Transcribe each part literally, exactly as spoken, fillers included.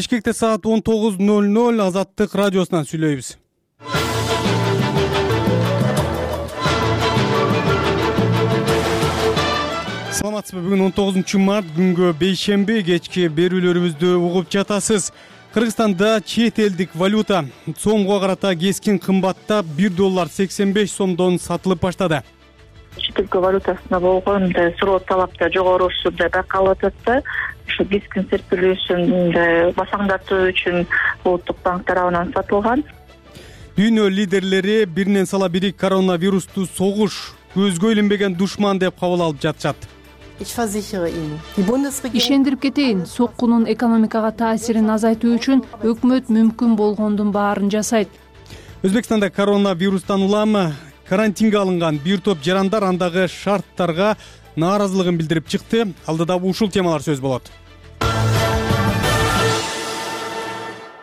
Бишкекте саат он тогуз ноль ноль Азаттык радиосунан сүйлөйбүз. Саламатсызбы? Бүгүн он тогузунчу март күнгө бейшемби, кечки берүүлөрүбүздү угуп жатасыз. Кыргызстанда чет элдик валюта сомго карата кескин кымбаттап бир доллар сексен беш сомдон сатылып баштады. Чет өлкө валютасына болгон суроо талап да жогорусу да байкалып атат да. Ушу кескин серпилүүсүн басаңдатуу үчүн Улуттук банк тарабынан сатылган. Дүйнө лидерлери биринен сала бири коронавирусту согуш, көзгө илинбеген душман деп кабыл алып жатышат. Ишендирип кетейин, соккунун экономикага таасирин азайтуу үчүн өкмөт мүмкүн болгондун баарын жасайт. Өзбекстанда коронавирустан улам карантинге алынган бир топ жарандар андагы шарттарга нааразылыгын билдирип чыкты. Алдыда ушул темалар сөз болот.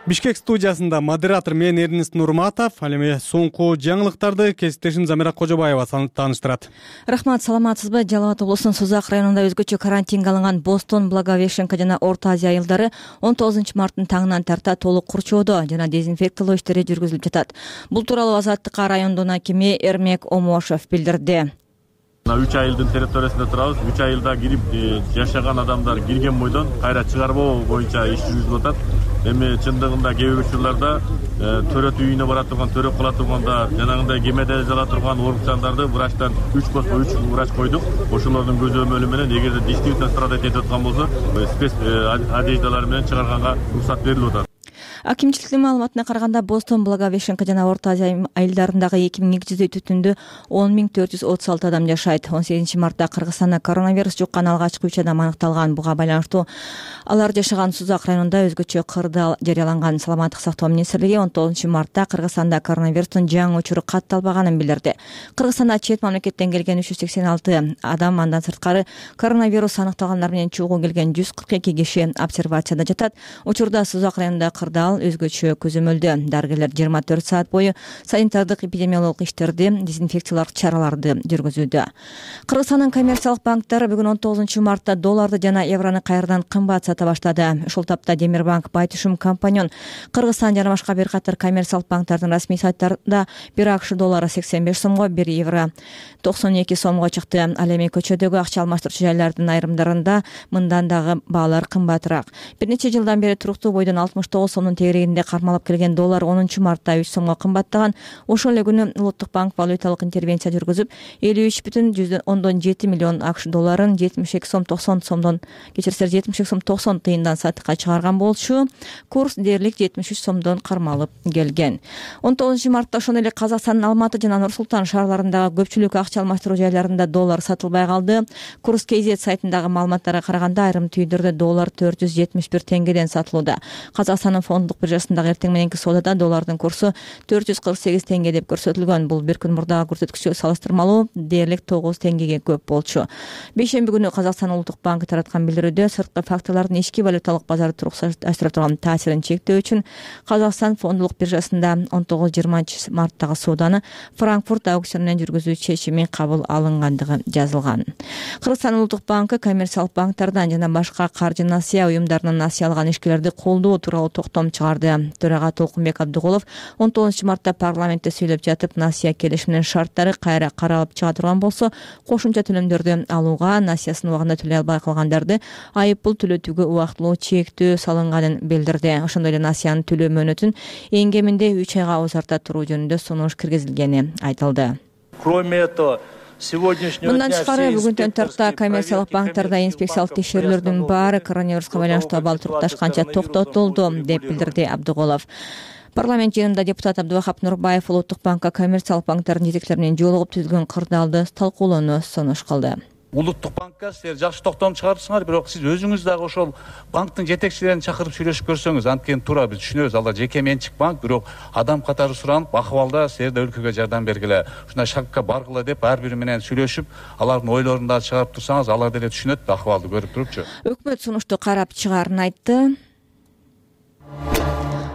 Бишкек студиясында модератор мен Эрнест Нурматов, ал эми соңку жаңылыктарды кесиптешим Замира Кожобаева тааныштырат. Рахмат, саламатсызбы? Жалал Абад облусунун Сузак районунда өзгөчө карантинге алынган Бостон, Благовещенка жана Орто Азия айылдары он тогузунчу марттын таңынан тарта толук курчоодо жана дезинфекциялоо иштери жүргүзүлүп жатат. Бул тууралуу Азаттыкка райондун акими Эрмек Омошев билдирди. үч айылдын территориясында турабыз. үч айылда кирип жашаган адамдар кирген бойдон кайра чыгарбоо боюнча иш жүргүзүлүп атат. Эми чындыгында кээ бир учурларда төрөт үйүнө бара турган, төрөп кала турганда жанагындай кемеде жала турган оорукчандарды врачтан үч болсо үч врач койдук. Ошолордун көзөмөлү менен эгерде действительно страдать этип аткан болсо спец одеждалар менен чыгарганга уруксат берилип атат. Акимчиликтин маалыматына караганда Бостон, Благовещенка жана Орто Азия айылдарындагы эки миң эки жүздөй түтүндө он миң төрт жүз отуз алты адам жашайт. он сегизинчи мартта Кыргызстанда коронавирус жуккан алгачкы үч адам аныкталган. Буга байланыштуу алар жашаган Сузак районунда өзгөчө кырдаал жарыяланган. Саламаттык сактоо министрлиги он тогузунчу мартта Кыргызстанда коронавирустун жаңы учуру катталбаганын билдирди. Кыргызстанда чет мамлекеттен келген үч жүз сексен алты адам, андан сырткары коронавирус аныкталгандар менен чогуу келген жүз кырк эки киши обсервацияда жатат. Учурда Сузак районунда кырдаал өзгөчө көзөмөлдө. Дарыгерлер жыйырма төрт саат бою санитардык эпидемиологик иштерди, дезинфекциялык чараларды жүргүзүүдө. Кыргызстандын коммерциялык банктары бүгүн он тогузунчу мартта долларды жана еврону кайрадан кымбат сата баштады. Ушул тапта Демирбанк, Байтушум компаньон, Кыргызстан жана башка бир катар коммерциялык банктардын расмий сайттарында бир акш доллары сексен беш сомго, бир евро токсон эки сомго чыкты. Ал эми көчөдөгү акча алмаштыруучу жайлардын айрымдарында мындан дагы баалар кымбатыраак. Бир нече жылдан бери туруктуу бойдон алтымыш тогуз сомдун тегерегинде кармалып келген доллар онунчу мартта үч сомго кымбаттаган. Ошол эле күнү Улуттук банк валюталык интервенция жүргүзүп, элүү үч бүтүн жүздөн ондон жети миллион акш долларын жетимиш эки сом токсон сомдон кечирсер жетимиш эки сом токсон тыйындан сатыкка чыгарган болчу. Курс дээрлик жетимиш үч сомдон кармалып келген. он тогузунчу мартта ошондой эле Казакстандын Алматы жана Нур Султан шаарларындагы көпчүлүк акча алмаштыруу жайларында доллар сатылбай калды. Курс кей зет сайтындагы маалыматтарга караганда айрым түйдөрдө доллар төрт жүз жетимиш бир теңгеден сатылууда. Казакстандын фонддук биржасындагы эртең мененки соодада доллардын курсу төрт жүз кырк сегиз теңге деп көрсөтүлгөн. Бул бир күн мурдагы көрсөткүчкө салыштырмалуу дээрлик тогуз теңгеге көп болчу. Бейшемби күнү Казакстан Улуттук банкы тараткан билдирүүдө сырткы факторлордун ички валюталык базарды туруксаштыра турган таасирин чектөө үчүн Казакстан фонддук биржасында он тогуз жыйырманчы марттагы сооданы Франкфурт аукционунан жүргүзүү чечими кабыл алынгандыгы жазылган. Кыргызстан Улуттук банкы коммерциялык банктардан жана башка каржы насыя уюмдарынан насыя алган ишкерлерди колдоо тууралуу токтом чыгарды. Төрага Толкунбек Абдыгулов он тогузунчу мартта парламентте сүйлөп жатып, насыя келишиминин шарттары кайра каралып чыга турган болсо, кошумча төлөмдөрдү алууга, насыясын убагында төлөй албай калгандарды айып пул төлөтүүгө убактылуу чектөө салынганын билдирди. Ошондой эле насыянын төлөө мөөнөтүн эң кеминде үч айга узарта туруу жөнүндө сунуш киргизилгени айтылды. Кроме этого, Мындан тышкары бүгүнтөн тарта коммерциялык банктарда инспекциялык текшерүүлөрдүн баары коронавируска байланыштуу абал турукташканча токтотулду, деп билдирди Абдыгулов. Парламент жыйынында депутат Абдывахап Нурбаев Улуттук банкка коммерциялык банктардын жетекчилери менен жолугуп түзүлгөн кырдаалды талкуулоону сунуш кылды. Улуттук банкка силер жакшы токтом чыгарыпсыңар, бирок сиз өзүңүз дагы ошол банктын жетекчилерин чакырып сүйлөшүп көрсөңүз, анткени туура биз түшүнөбүз, алар жеке менчик банк, бирок адам катары суранып, акыбалда силер да өлкөгө жардам бергиле, ушундай шагга баргыла деп ар бири менен сүйлөшүп, алардын ойлорун да чыгарып турсаңыз, алар деле түшүнөт да акыбалды көрүп турупчу. Өкмөт сунушту карап чыгаарын айтты.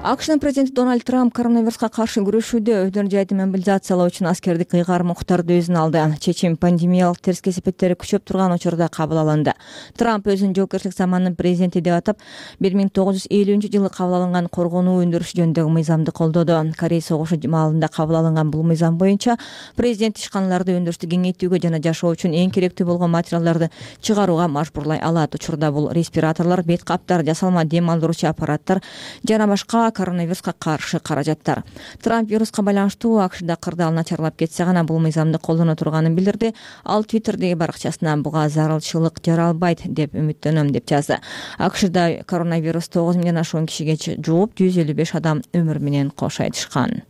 акшнын президенти Дональд Трамп коронавируска каршы күрөшүүдө өдөр жайды мобилизациялоо үчүн аскердик ыйгарым уктарды өзүнө алды. Чечим пандемиялык терс кесепеттери күчөп турган учурда кабыл алынды. Трамп өзүнүн жоопкерчилик заманынын президенти деп атап, бир миң тогуз жүз элүүнчү жылы кабыл алынган коргонуу өндүрүш жөнүндөгү мыйзамды колдоду. Корей согушу маалында кабыл алынган бул мыйзам боюнча президент ишканаларды өндүрүштү кеңейтүүгө жана жашоо үчүн эң керектүү болгон материалдарды чыгарууга мажбурлай алат. Учурда бул респираторлор, бет каптар, жасалма дем алдыруучу аппараттар жана башка коронавируска каршы каражаттар. Трамп вируска байланыштуу акшда кырдаал начарлап кетсе гана бул мыйзамды колдоно турганын билдирди. Ал Твиттердеги баракчасына буга зарылчылык жаралбайт деп үмүттөнөм деп жазды. акшда коронавирус тогуз миңден ашуун кишиге жууп, жүз элүү беш адам өмүр менен кош айтышкан.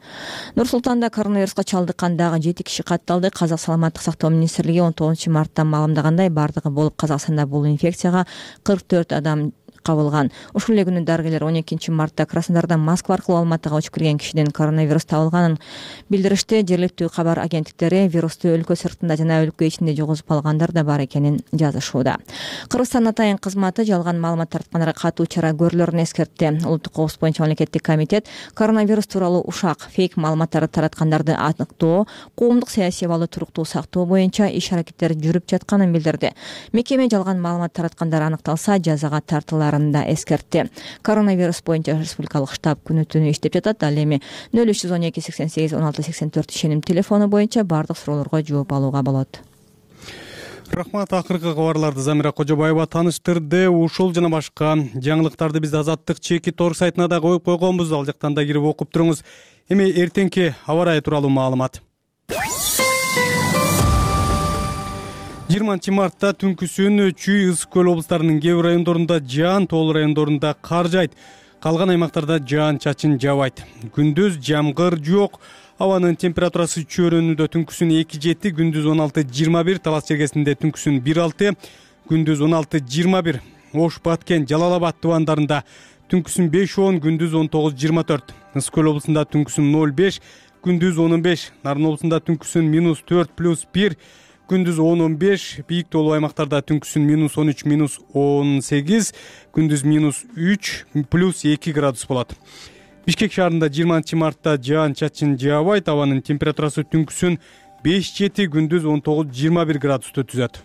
Нур Султанда коронавируска чалдыккан дагы жети киши катталды. Казак саламаттык сактоо министрлиги он тогузунчу мартта маалымдагандай, бардыгы болуп Казакстанда бул инфекцияга кырк төрт адам кабылган. Ушул эле күнү дарыгерлер он экинчи мартта Краснодардан Москва аркылуу Алматыга учуп кирген кишиден коронавирус табылганын билдиришти. Жергиликтүү кабар агенттиктери вирусту өлкө сыртында жана өлкө ичинде жугузуп алгандар да бар экенин жазышууда. Кыргызстан атайын кызматы жалган маалымат тараткандарга катуу чара көрүлөрүн эскертти. Улуттук коопсуздук боюнча мамлекеттик комитет коронавирус тууралуу ушак, фейк маалыматтарды тараткандарды аныктоо, коомдук саясий абалды туруктуу сактоо боюнча иш аракеттери жүрүп жатканын билдирди. Мекеме жалган маалымат тараткандар аныкталса жазага тартылар да эскертти. Коронавирус боюнча республикалык штаб күнү түнү иштеп жатат. Ал эми нөл үч жүз он эки сексен сегиз он алты сексен төрт ишеним телефону боюнча бардык суроолорго жооп алууга болот. Рахмат. Акыркы кабарларды Замира Кожобаева тааныштырды. Ушул жана башка жаңылыктарды биз Азаттык чеки торг сайтына да коюп койгонбуз. Ал жактан да кирип окуп туруңуз. Эми эртеңки аба ырайы тууралуу маалымат. жыйырманчы мартта түнкүсүн Чүй, Ысык көл облустарынын кээ бир райондорунда жаан, тоол райондорунда кар жайт. Калган аймактарда жаан чачын жабайт. Күндүз жамгыр жок. Абанын температурасы Чөйрөнүндө түнкүсүн эки жети, күндүз он алты жыйырма бир, Талас Чергесинде түнкүсүн бир алты, күндүз он алты жыйырма бир. Ош, Баткен, Жалал Абад тубандарында түнкүсүн беш он, күндүз он тогуз жыйырма төрт. Ысык көл облусунда түнкүсүн ноль беш, күндүз он беш. Нарын облусунда түнкүсүн минус төрт плюс бир, күндүз он он беш. Бийик тоолуу аймактарда түнкүсүн минус он үч, минус он сегиз, күндүз минус үч плюс эки градус болот. Бишкек шаарында жыйырманчы мартта жаан чачын жаабайт. Абанын температурасы түнкүсүн беш жети, күндүз он тогуз жыйырма бир градусту түзөт.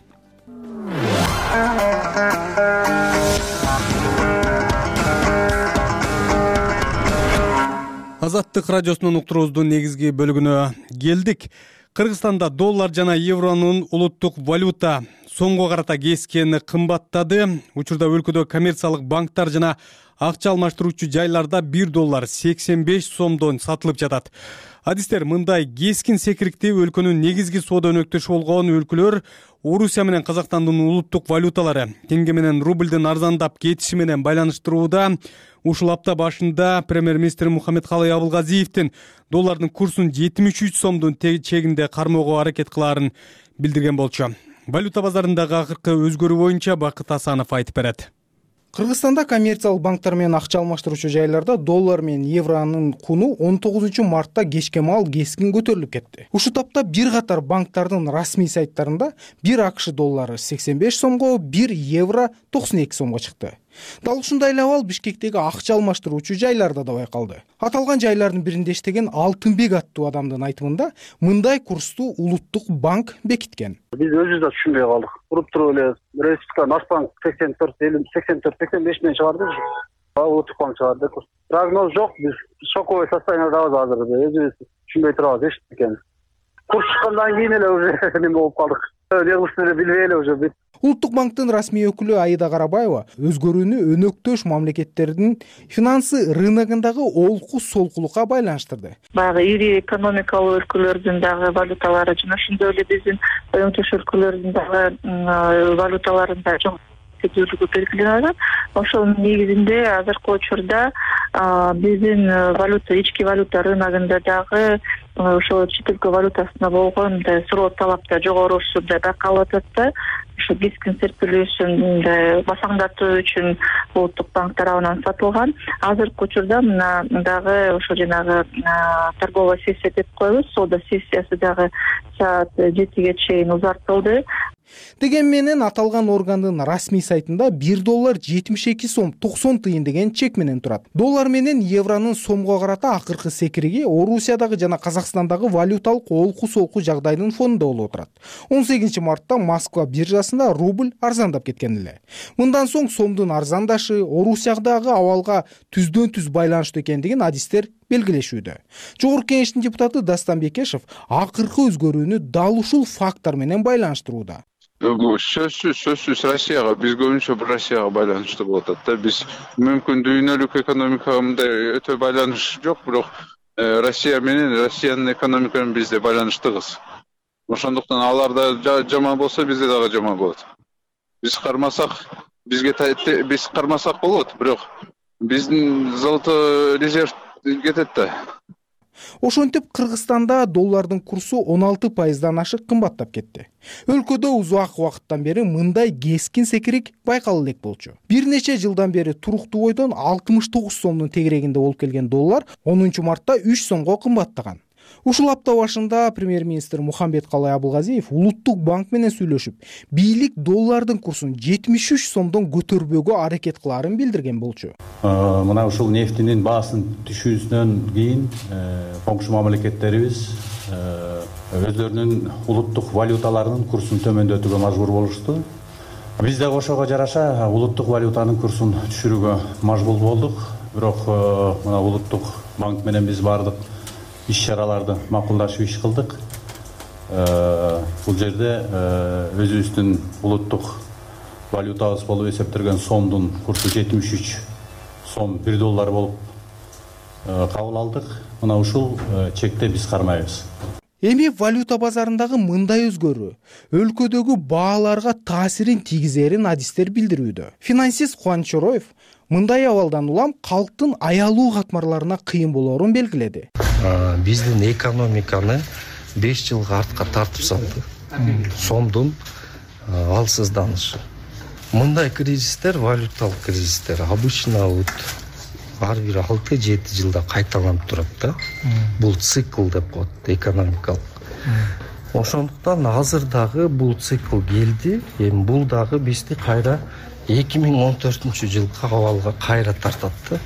Азаттык радиосунун уктуруубуздун негизги бөлүгүнө келдик. Кыргызстанда доллар жана евронун улуттук валюта сомго карата кескени кымбаттады. Учурда өлкөдө коммерциялык банктар жана акча алмаштыруучу жайларда бир доллар сексен беш сомдон сатылып жатат. Адистер мындай кескин секирикти өлкөнүн негизги соода өнөктөшү болгон өлкөлөр Орусия менен Казакстандын улуттук валюталары теңге менен рубльдин арзандап кетиши менен байланыштырууда. Ушул апта башында премьер-министр Мухаммедкалый Абылгазиевдин доллардын курсун жетимиш үч сомдун чегинде кармоого аракет кылаарын билдирген болчу. Валюта базарындагы акыркы өзгөрүү боюнча Бакыт Асанов айтып берет. Кыргызстанда коммерциялык банктар менен акча алмаштыруучу жайларда доллар менен евронун куну он тогузунчу мартта кечке маал кескин көтөрүлүп кетти. Ушул тапта бир катар банктардын расмий сайттарында бир акш доллары сексен беш сомго, бир евро токсон эки сомго чыкты. Дал ушундай эле абал Бишкектеги акча алмаштыруучу жайларда да байкалды. Аталган жайлардын биринде иштеген Алтынбек аттуу адамдын айтымында мындай курсту улуттук банк бекиткен. Биз өзүбүз да түшүнбөй калдык. Туруп туруп эле Республика Нацбанк сексен төрт сексен төрт сексен беш менен чыгарды. Улуттук банк чыгарды. Прогноз жок. Биз шоковый состояниедабыз азыр. Өзүбүз түшүнбөй турабыз эч экен. Курс чыккандан кийин эле уже неме болуп калдык. Негизин эле билбей эле уже бүт. Улуттук банктын расмий өкүлү Аида Карабаева өзгөрүүнү өнөктөш мамлекеттердин финансы рыногундагы олку солкулукка байланыштырды. Баягы ири экономикалык өлкөлөрдүн дагы валюталары жана ошондой эле биздин өнөктөш өлкөлөрдүн дагы валюталарында чоң көтөрүлүү белгиленет. Ошонун негизинде азыркы учурда биздин валюта, ички валюта рыногунда дагы ошо чет өлкө валютасына болгон суроо талап да жогорусу да байкалып атат да. Ошо кескин серпилүүсүн басаңдатуу үчүн улуттук банк тарабынан сатылган. Азыркы учурда мына дагы ошо жанагы торговая сессия деп коебуз. Соода сессиясы дагы саат жетиге чейин узартылды. Деген менен аталган органдын расмий сайтында бир доллар жетимиш эки сом токсон тыйын деген чек менен турат. Доллар менен евронун сомго карата акыркы секириги Орусиядагы жана Казакстандагы валюталык олку-солку жагдайдын фонунда болуп турат. он сегизинчи мартта Москва биржасында рубль арзандап кеткен эле. Мындан соң сомдун арзандашы Орусиядагы абалга түздөн түз байланыштуу экендигин адистер белгилешүүдө. Жогорку кеңештин депутаты Дастан Бекешев акыркы өзгөрүүнү дал ушул фактор менен байланыштырууда. Сөзсүз сөзсүз Россияга, биз көбүнчө Россияга байланыштуу болуп атат да. Биз мүмкүн дүйнөлүк экономикага мындай өтө байланыш жок, бирок Россия менен Россиянын экономика менен бизде байланыштыгыз. Ошондуктан аларда жаман болсо бизде дагы жаман болот. Биз кармасак, бизге биз кармасак болот, бирок биздин золото резерв кетет да. Ошентип Кыргызстанда доллардын курсу он алты пайыздан ашык кымбаттап кетти. Өлкөдө узак убакыттан бери мындай кескин секирик байкала элек болчу. Бир нече жылдан бери туруктуу бойдон алтымыш тогуз сомдун тегерегинде болуп келген доллар онунчу мартта үч сомго кымбаттаган. Ушул апта башында премьер-министр Мухамбеткалай Абылгазиев Улуттук банк менен сүйлөшүп, бийлик доллардын курсун жетимиш үч сомдон көтөрбөөгө аракет кылаарын билдирген болчу. Мына ушул нефтинин баасынын түшүүсүнөн кийин коңшу мамлекеттерибиз өздөрүнүн улуттук валюталарынын курсун төмөндөтүүгө мажбур болушту. Биз да ошого жараша улуттук валютанын курсун түшүрүүгө мажбур болдук. Бирок мына Улуттук банк менен биз бардык иш-чараларды макулдашып иш кылдык. Бул жерде өзүбүздүн улуттук валютабыз болуп эсептелген сомдун курсу жетимиш үч сом бир доллар болуп кабыл алдык. Мына ушул чекте биз кармайбыз. Эми валюта базарындагы мындай өзгөрүү өлкөдөгү бааларга таасирин тийгизерин адистер билдирүүдө. Финансист Кубаныч Чороев мындай абалдан улам калктын аялуу катмарларына кыйын болоорун белгиледи. Биздин экономиканы беш жылга артка тартып салды. Сомдун алсызданышы. Мындай кризистер, валюталык кризистер обычно вот ар бир алты жети жылда кайталанып турат да. Бул цикл деп коет экономикалык. Ошондуктан азыр дагы бул цикл келди. Эми бул дагы бизди кайра эки миң он төртүнчү жылкы абалга кайра тартат да.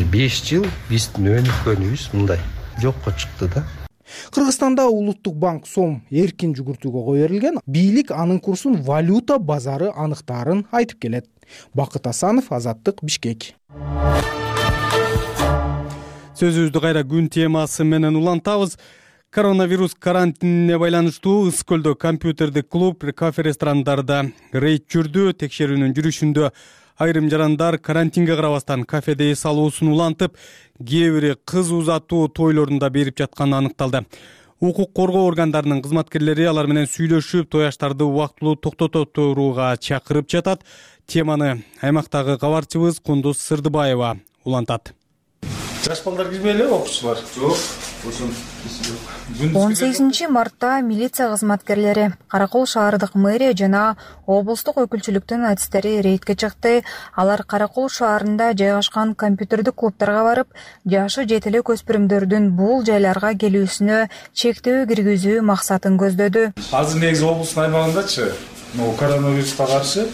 беш жыл биздин өнүккөнүбүз мындай жокко чыкты да. Кыргызстанда Улуттук банк сом эркин жүгүртүүгө кое берилген, бийлик анын курсун валюта базары аныктаарын айтып келет. Бакыт Асанов, Азаттык, Бишкек. Сөзүбүздү кайра күн темасы менен улантабыз. Коронавирус карантинине байланыштуу Ысык көлдө компьютердик клуб, кафе, ресторандарда рейд жүрдү. Текшерүүнүн жүрүшүндө айрым жарандар карантинге карабастан кафеде эс алуусун улантып, кээ бири кыз узатуу тойлорунда берип жатканы аныкталды. Укук коргоо органдарынын кызматкерлери алар менен сүйлөшүп, той аштарды убактылуу токтото турууга чакырып жатат. Теманы аймактагы кабарчыбыз Кундуз Сырдыбаева улантат. Жаш балдар кирбейли, окуучулар? Жок. он сегизинчи мартта милиция кызматкерлери, Каракол шаардык мэрия жана облустук өкүлчүлүктүн адистери рейдке чыкты. Алар Каракол шаарында жайгашкан компьютердик клубдарга барып, жашы жете элек өспүрүмдөрдүн бул жайларга келүүсүнө чектөө киргизүү максатын көздөдү. Азыр негизи облустун аймагындачы, могу коронавируска каршы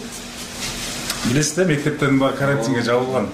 билесиз, мектептердин баары карантинге жабылган.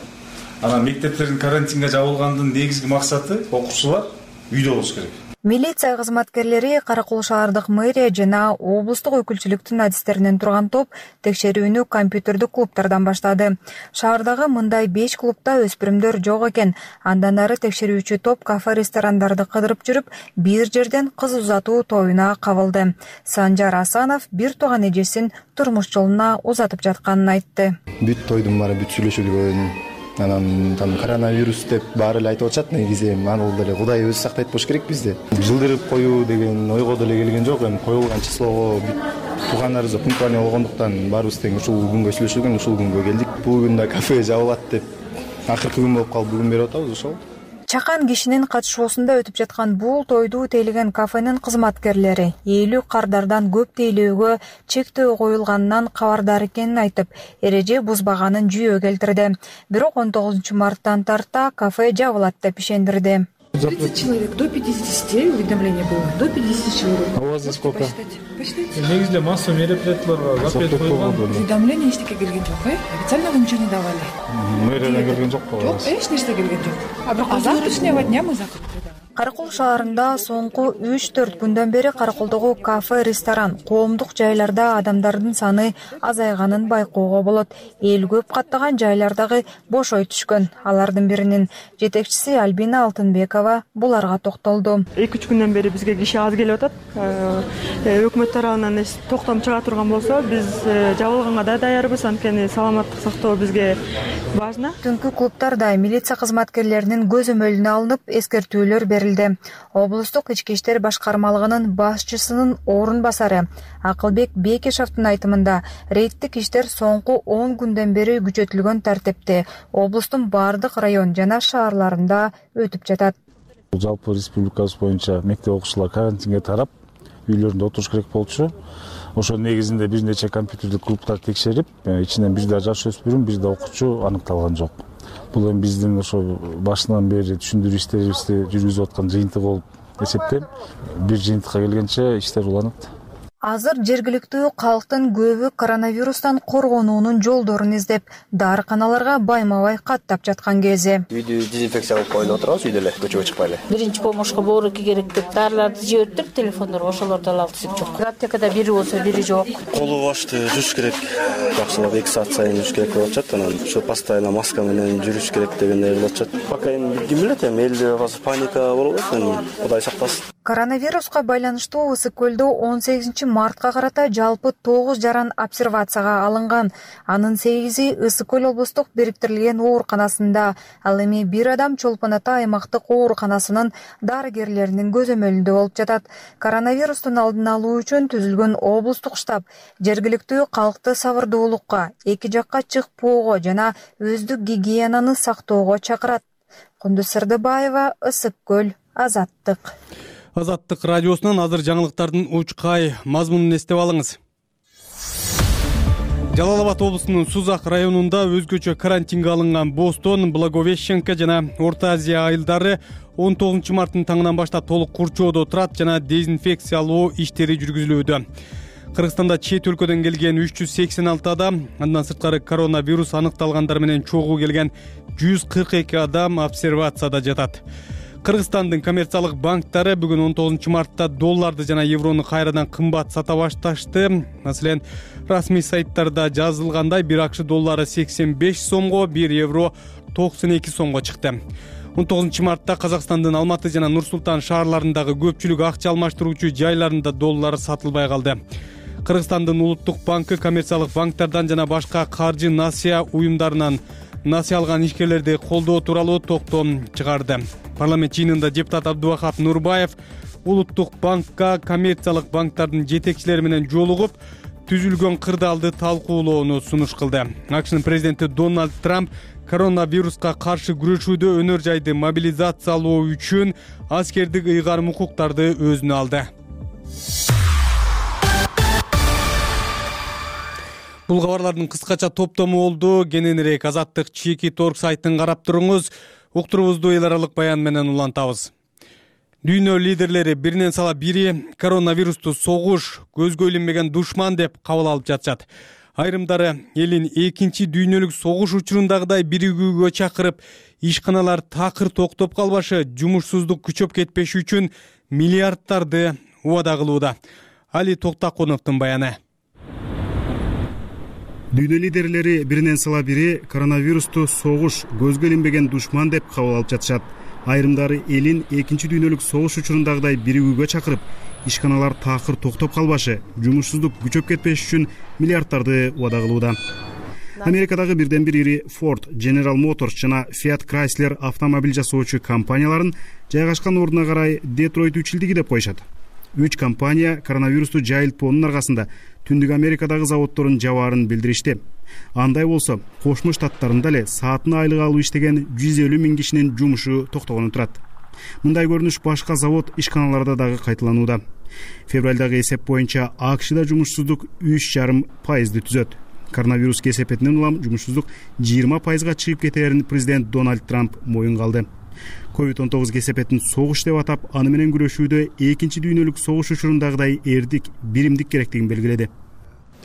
Анан мектептердин карантинге жабылгандын негизги максаты окуучулар үйдө болуш керек. Милиция кызматкерлери, Каракол шаардык мэрия жана облустук өкүлчүлүктүн адистеринен турган топ текшерүүнү компьютердик клубдардан баштады. Шаардагы мындай беш клубда өспүрүмдөр жок экен. Андан ары текшерүүчү топ кафе, ресторандарды кыдырып жүрүп, бир жерден кыз узатуу тоюна кабылды. Санжар Асанов бир тууган эжесин турмуш жолуна узатып жатканын айтты. Бүт тойдун баары бүт сүйлөшүлгөн. Анан там коронавирус деп баары эле айтып атышат. Негизи аны деле Кудай өзү сактайт болуш керек бизди. Жылдырып коюу деген ойго деле келген жок. Эми коюлган числого туугандарыбыз пунктуальный болгондуктан баарыбыз тең ушул күнгө сүйлөшүлгөн, ушул күнгө келдик. Бул күндө кафе жабылат деп акыркы күн болуп калып бүгүн берип атабыз ошол. Чакан кишинин катышуусунда өтүп жаткан бул тойду тейлеген кафенин кызматкерлери элүү кардардан көп тейлөөгө чектөө коюлганынан кабардар экенин айтып, эреже бузбаганын жүйө келтирди. Бирок он тогузунчу марттан тарта кафе жабылат деп ишендирди. тридцать человек, до пятидесяти уведомление было, до пятидесяти человек. А у вас здесь сколько? Посчитайте. Негизинде массовый мероприятияларга запрет коюлган. Уведомление эчтеке келген жок, э? Официального ничего не давали. Мэриядан келген жокпу? Жок, эч нерсе келген жок. А бирок а завтрашнего дня мы закрыты. Каракол шаарында соңку үч төрт күндөн бери Караколдогу кафе, ресторан, коомдук жайларда адамдардын саны азайганын байкоого болот. Эл көп каттаган жайлардагы бошой түшкөн. Алардын биринин жетекчиси Альбина Алтынбекова буларга токтолду. эки үч күндөн бери бизге киши аз келип атат. Өкмөт тарабынан токтом чыга турган болсо, биз жабылганга да даярбыз, анткени саламаттык сактоо бизге важно. Түнкү клубтарда милиция кызматкерлеринин көзөмөлүнө алынып, эскертүүлөр берилди. Облустук ички иштер башкармалыгынын башчысынын орун басары Акылбек Бекешевдин айтымында рейдтик иштер соңку он күндөн бери күчөтүлгөн тартипте облустун бардык район жана шаарларында өтүп жатат. Жалпы республикабыз боюнча мектеп окуучулар карантинге тарап, үйлөрүндө отуруш керек болчу. Ошо негизинде бир нече компьютердик клубтар текшерип, ичинен бир да жаш өспүрүм, бир да окуучу аныкталган жок. Бул эми биздин ошо башынан бери түшүндүрүү иштерибизди жүргүзүп аткан жыйынтык болуп эсептейм. Бир жыйынтыкка келгенче иштер уланат. Азыр жергиликтүү калктын көбү коронавирустан коргонуунун жолдорун издеп, дарыканаларга байма-бай каттап жаткан кези. Үйдү дезинфекция кылып коюп отурабыз, үйдө эле көчөгө чыкпай эле. Биринчи помощка бооруки керек деп дарыларды жибериптир, телефондор ошолорду ала алсак жок. Аптекада бири болсо бири жок. Колу башты жууш керек. Жакшылап эки саат сайын жууш керек болуп атат, анан ошо постоянно маска менен жүрүш керек дегендей болуп атат. Пока эми ким билет, эми элде азыр паника болуп атат, Кудай сактасын. Коронавируска байланыштуу Ысык көлдө он сегизинчи мартка карата жалпы тогуз жаран обсервацияга алынган. Анын сегизи Ысык көл облустук бириктирилген ооруканасында, ал эми бир адам Чолпон Ата аймактык ооруканасынын дарыгерлеринин көзөмөлүндө болуп жатат. Коронавирустун алдын алуу үчүн түзүлгөн облустук штаб жергиликтүү калкты сабырдуулукка, эки жакка чыкпоого жана өздүк гигиенаны сактоого чакырат. Кундуз Сырдыбаева, Ысык көл, Азаттык. Азаттык радиосунан азыр жаңылыктардын учкай мазмунун эстеп алыңыз. Жалал Абад облусунун Сузак районунда өзгөчө карантинге алынган Бостон, Благовещенка жана Орто Азия айылдары он тогузунчу марттын таңынан баштап толук курчоодо турат жана дезинфекциялоо иштери жүргүзүлүүдө. Кыргызстанда чет өлкөдөн келген үч жүз сексен алты адам, андан сырткары коронавирус аныкталгандар менен чогуу келген жүз кырк эки адам обсервацияда жатат. Кыргызстандын коммерциялык банктары бүгүн он тогузунчу мартта долларды жана еврону кайрадан кымбат сата башташты. Маселен, расмий сайттарда жазылгандай бир акш доллары сексен беш сомго, бир евро токсон эки сомго чыкты. он тогузунчу мартта Казакстандын Алматы жана Нур Султан шаарларындагы көпчүлүк акча алмаштыруучу жайларында доллар сатылбай калды. Кыргызстандын Улуттук банкы коммерциялык банктардан жана башка каржы насыя уюмдарынан насыя алган ишкерлерди колдоо тууралуу токтом чыгарды. Парламент жыйынында депутат Абдубахап Нурбаев Улуттук банкка коммерциялык банктардын жетекчилери менен жолугуп, түзүлгөн кырдаалды талкуулоону сунуш кылды. АКШнын президенти Дональд Трамп коронавируска каршы күрөшүүдө өнөр жайды мобилизациялоо үчүн аскердик ыйгарым укуктарды өзүнө алды. Бул кабарлардын кыскача топтому болду. Кененирээк Азаттык Чеки Торг сайтын карап туруңуз. Уктурубузду эл аралык баян менен улантабыз. Дүйнө лидерлери биринен сала бири коронавирусту согуш, көзгө илинбеген душман деп кабыл алып жатышат. Айрымдары элин экинчи дүйнөлүк согуш учурундагыдай биригүүгө чакырып, ишканалар такыр токтоп калбашы, жумушсуздук күчөп кетпеши үчүн миллиарддарды убада кылууда. Али Токтакуновдун баяны. Дүйнө лидерлери биринен сала бири коронавирусту согуш, көзгө илинбеген душман деп кабыл алып жатышат. Айрымдары элин экинчи дүйнөлүк согуш учурундагыдай биригүүгө чакырып, ишканалар такыр токтоп калбашы, жумушсуздук күчөп кетпеш үчүн миллиарддарды убада кылууда. Америкадагы бирден бир ири Ford, General Motors жана Fiat Chrysler автомобиль жасоочу компанияларын жайгашкан ордуна карай Детройт үчилдиги деп коюшат. Үч компания коронавирусту жайылтпоонун аркасында Түндүк Америкадагы заводдорун жабаарын билдиришти. Андай болсо, Кошмо Штаттарында эле саатына айлык алып иштеген жүз элүү миң кишинин жумушу токтогону турат. Мындай көрүнүш башка завод ишканаларда дагы кайталанууда. Февралдагы эсеп боюнча АКШда жумушсуздук үч жарым пайызды түзөт. Коронавирус кесепетинен улам жумушсуздук жыйырма пайызга чыгып кетерин президент Дональд Трамп моюнга алды. ковид он тогуз кесепетин согуш деп атап, аны менен күрөшүүдө экинчи дүйнөлүк согуш учурундагыдай эрдик, биримдик керектигин белгиледи.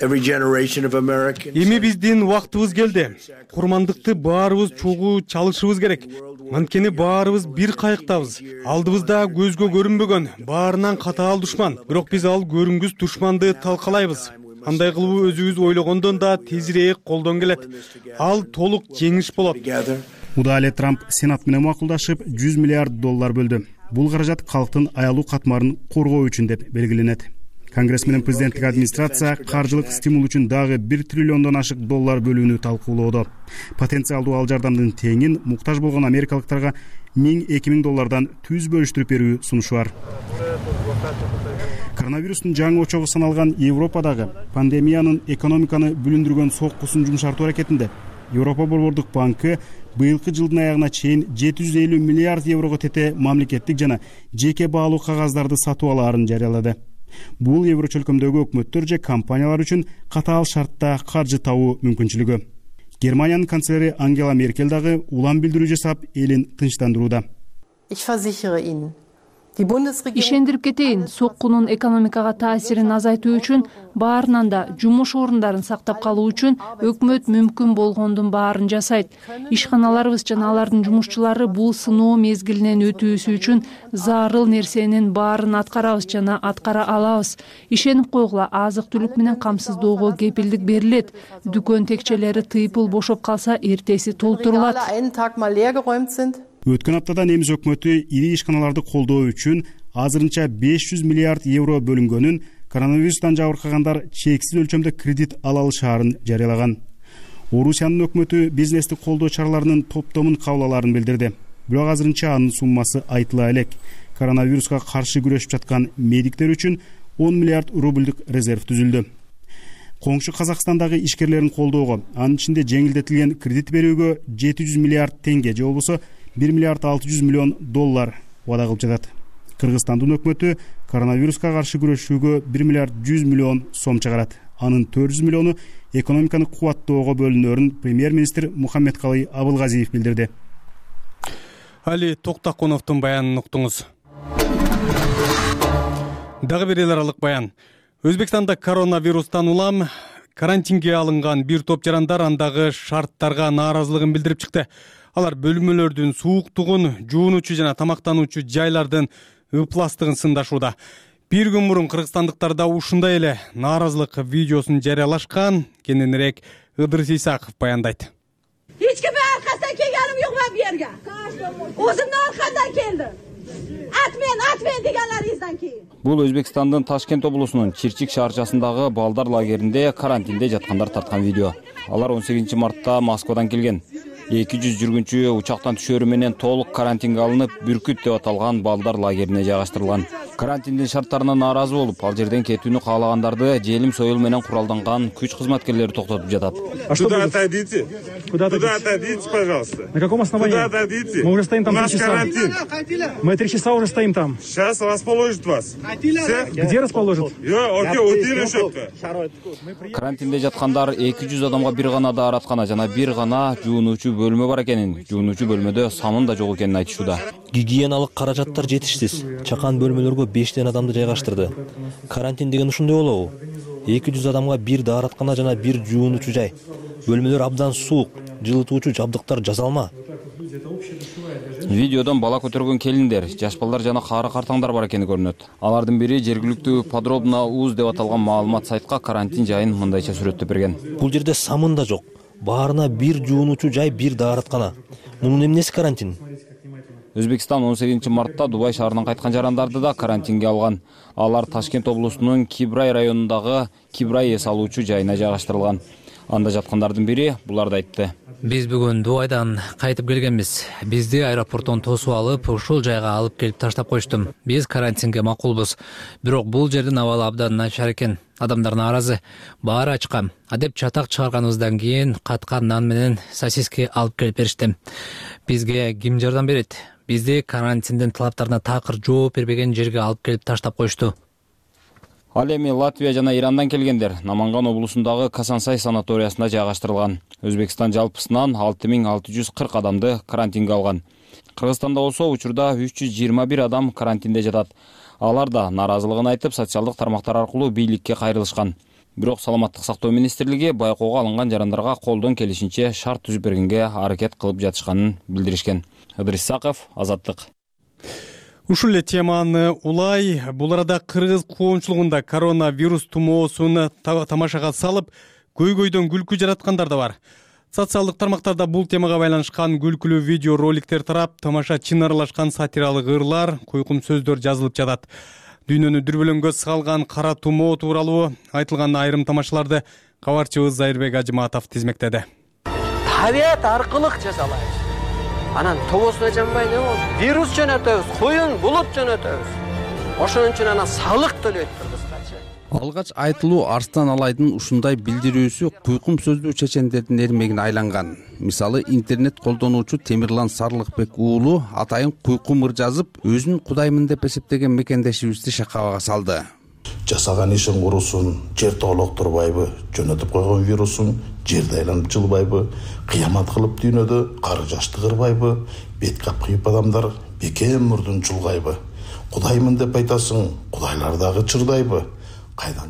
Эми биздин убактыбыз келди. Курмандыкты баарыбыз чогуу чалышыбыз керек. Анткени баарыбыз бир кайыктабыз. Алдыбызда көзгө көрүнбөгөн, баарынан катаал душман. Бирок биз ал көрүнгүс душманды талкалайбыз. Андай кылуу өзүбүз ойлогондон да тезирээк колдон келет. Ал толук жеңиш болот. Муда эле Трамп Сенат менен макулдашып жүз миллиард доллар бөлдү. Бул каражат калктын аялуу катмарын коргоо үчүн деп белгиленет. Конгресс менен президенттик администрация каржылык стимул үчүн дагы бир триллиондон ашык доллар бөлүүнү талкуулоодо. Потенциалдуу ал жардамдын теңин муктаж болгон америкалыктарга миң эки миң доллардан түз бөлүштүрүп берүү сунушу бар. Коронавирустун жаңы очогу саналган Европадагы пандемиянын экономиканы бүлүндүргөн соккусун жумшартуу аракетинде Европа Борбордук банкы быйылкы жылдын аягына чейин жети жүз элүү миллиард еврого тете мамлекеттик жана жеке баалуу кагаздарды сатып алаарын жарыялады. Бул евро чөлкөмдөгү өкмөттөр же компаниялар үчүн катаал шартта каржы табуу мүмкүнчүлүгү. Германиянын канцлери Ангела Меркель дагы улам билдирүү жасап, элин тынчтандырууда. Ишендирип кетейин, соккунун экономикага таасирин азайтуу үчүн, баарынан да жумуш орундарын сактап калуу үчүн өкмөт мүмкүн болгондун баарын жасайт. Ишканаларыбыз жана алардын жумушчулары бул сыноо мезгилинен өтүүсү үчүн зарыл нерсенин баарын аткарабыз жана аткара алабыз. Ишенип койгула, азык-түлүк менен камсыздоого кепилдик берилет. Дүкөн текчелери тыйпыл бошоп калса, эртеси толтурулат. Өткөн аптада немис өкмөтү ири ишканаларды колдоо үчүн азырынча беш жүз миллиард евро бөлүнгөнүн, коронавирустан жабыркагандар чексиз өлчөмдө кредит ала алышаарын жарыялаган. Орусиянын өкмөтү бизнести колдоо чараларынын топтомун кабыл алаарын билдирди. Бирок азырынча анын суммасы айтыла элек. Коронавируска каршы күрөшүп жаткан медиктер үчүн он миллиард рубльдук резерв түзүлдү. Коңшу Казакстандагы ишкерлерин колдоого, анын ичинде жеңилдетилген кредит берүүгө жети жүз миллиард теңге же болбосо бир миллиард алты жүз миллион доллар убада кылып жатат. Кыргызстандын өкмөтү коронавируска каршы күрөшүүгө бир миллиард жүз миллион сом чыгарат. Анын төрт жүз миллиону экономиканы кубаттоого бөлүнөрүн премьер-министр Мухаммедкалый Абылгазиев билдирди. Али Токтаконовдун баянын уктуңуз. Дагы бир эл аралык баян. Өзбекстанда коронавирустан улам карантинге алынган бир топ жарандар андагы шарттарга нааразылыгын билдирип чыкты. Алар бөлмөлөрдүн сууктугун, жуунуучу жана тамактануучу жайлардын ыпластыгын сындашууда. Бир күн мурун кыргызстандыктар да ушундай эле нааразылык видеосун жарыялашкан. Кененирээк Ыдырыс Исаков баяндайт. Эч кимге аркасынан келгеним жок мен бу жерге. Өзүмдүн аркамдан келдим. Атмен, атмен дегенлеринизден кийин. Бул Өзбекстандын Ташкент облусунун Чирчик шаарчасындагы балдар лагеринде карантинде жаткандар тарткан видео. Алар он сегизинчи мартта Москвадан келген. эки жүз жүргүнчү учактан түшөрү менен толук карантинге алынып, Бүркүт деп аталган балдар лагерине жайгаштырылган. Карантиндин шарттарына нааразы болуп, ал жерден кетүүнү каалагандарды желим союл менен куралданган күч кызматкерлери токтотуп жатат. Куда отойдите? Куда отойдите, пожалуйста? На каком основании? Куда отойдите? Мы уже стоим там три часа. Карантин. Мы три часа уже стоим там. Сейчас расположит вас. Где расположит? Карантинде жаткандар эки жүз адамга бир гана даараткана жана бир гана жуунуучу бөлмө бар экенин, жуунуучу бөлмөдө санын да жок экенин айтышууда. Гигиеналык каражаттар жетишсиз. Чакан бөлмөлөргө бештен адамды жайгаштырды. Карантин деген ушундай болобу? эки жүз адамга бир даараткана жана бир жуунуучу жай. Бөлмөлөр абдан суук, жылытуучу жабдыктар жасалма. Видеодон бала көтөргөн келиндер, жаш балдар жана каары картаңдар бар экени көрүнөт. Алардын бири жергиликтүү подробно уз деп аталган маалымат сайтка карантин жайын мындайча сүрөттөп берген. Бул жерде самын да жок. Баарына бир жуунуучу жай, бир даараткана. Мунун эмнеси карантин? Өзбекстан он сегизинчи мартта Дубай шаарынан кайткан жарандарды да карантинге алган. Алар Ташкент облусунун Кибрай районундагы Кибрай эс алуучу жайына жайгаштырылган. Анда жаткандардын бири буларды айтты. Биз бүгүн Дубайдан кайтып келгенбиз. Бизди аэропорттон тосуп алып, ушул жайга алып келип таштап коюшту. Биз карантинге макулбуз. Бирок бул жердин абалы абдан начар экен. Адамдар нааразы. Баары ачкам. Адеп чатак чыгарганыбыздан кийин каткан нан менен сосиски алып келип беришти. Бизге ким жардам берет? Бизди карантиндин талаптарына такыр жооп бербеген жерге алып келип таштап коюшту. Ал эми Латвия жана Ирандан келгендер Наманган облусундагы Касансай санаториясына жайгаштырылган. Өзбекстан жалпысынан алты миң алты жүз кырк адамды карантинге алган. Кыргызстанда болсо учурда үч жүз жыйырма бир адам карантинде жатат. Алар да нааразылыгын айтып, социалдык тармактар аркылуу бийликке кайрылышкан. Бирок Саламаттык сактоо министрлиги байкоого алынган жарандарга колдон келишинче шарт түзүп бергенге аракет кылып жатышканын билдиришкен. Ыдырыс Исаков, Азаттык. Ушул эле теманы улай бул арада кыргыз коомчулугунда коронавирус тумоосун тамашага салып, көйгөйдөн күлкү жараткандар да бар. Социалдык тармактарда бул темага байланышкан күлкүлүү видео роликтер тарап, тамашачын аралашкан сатиралык ырлар, койкум сөздөр жазылып жатат. Дүйнөнү дүрбөлөңгө салган кара тумоо тууралуу айтылган айрым тамашаларды кабарчыбыз Зайырбек Ажыматов тизмектеди. Табият аркылык жасалайбыз. Анан тобосуна жанбай не болду? Вирус жөнөтөбүз, куюн булут жөнөтөбүз. Ошон үчүн анан салык төлөйт кыргызча. Алгач айтылуу Арстан Алайдын ушундай билдирүүсү куйкум сөздүү чечендердин эрмегине айланган. Мисалы, интернет колдонуучу Темирлан Сарлыкбек уулу атайын куйкум ыр жазып, өзүн кудаймын деп эсептеген мекендешибизди шакабага салды. Жасаган ишин курусун, жер тоолоктурбайбы, жөнөтүп койгон вирусун жерде айланып жылбайбы, кыямат кылып дүйнөдө кары жашты кырбайбы, бет капкыйып адамдар бекем мурдун чулгайбы. Кудаймын деп айтасың, кудайлар дагы чырдайбы?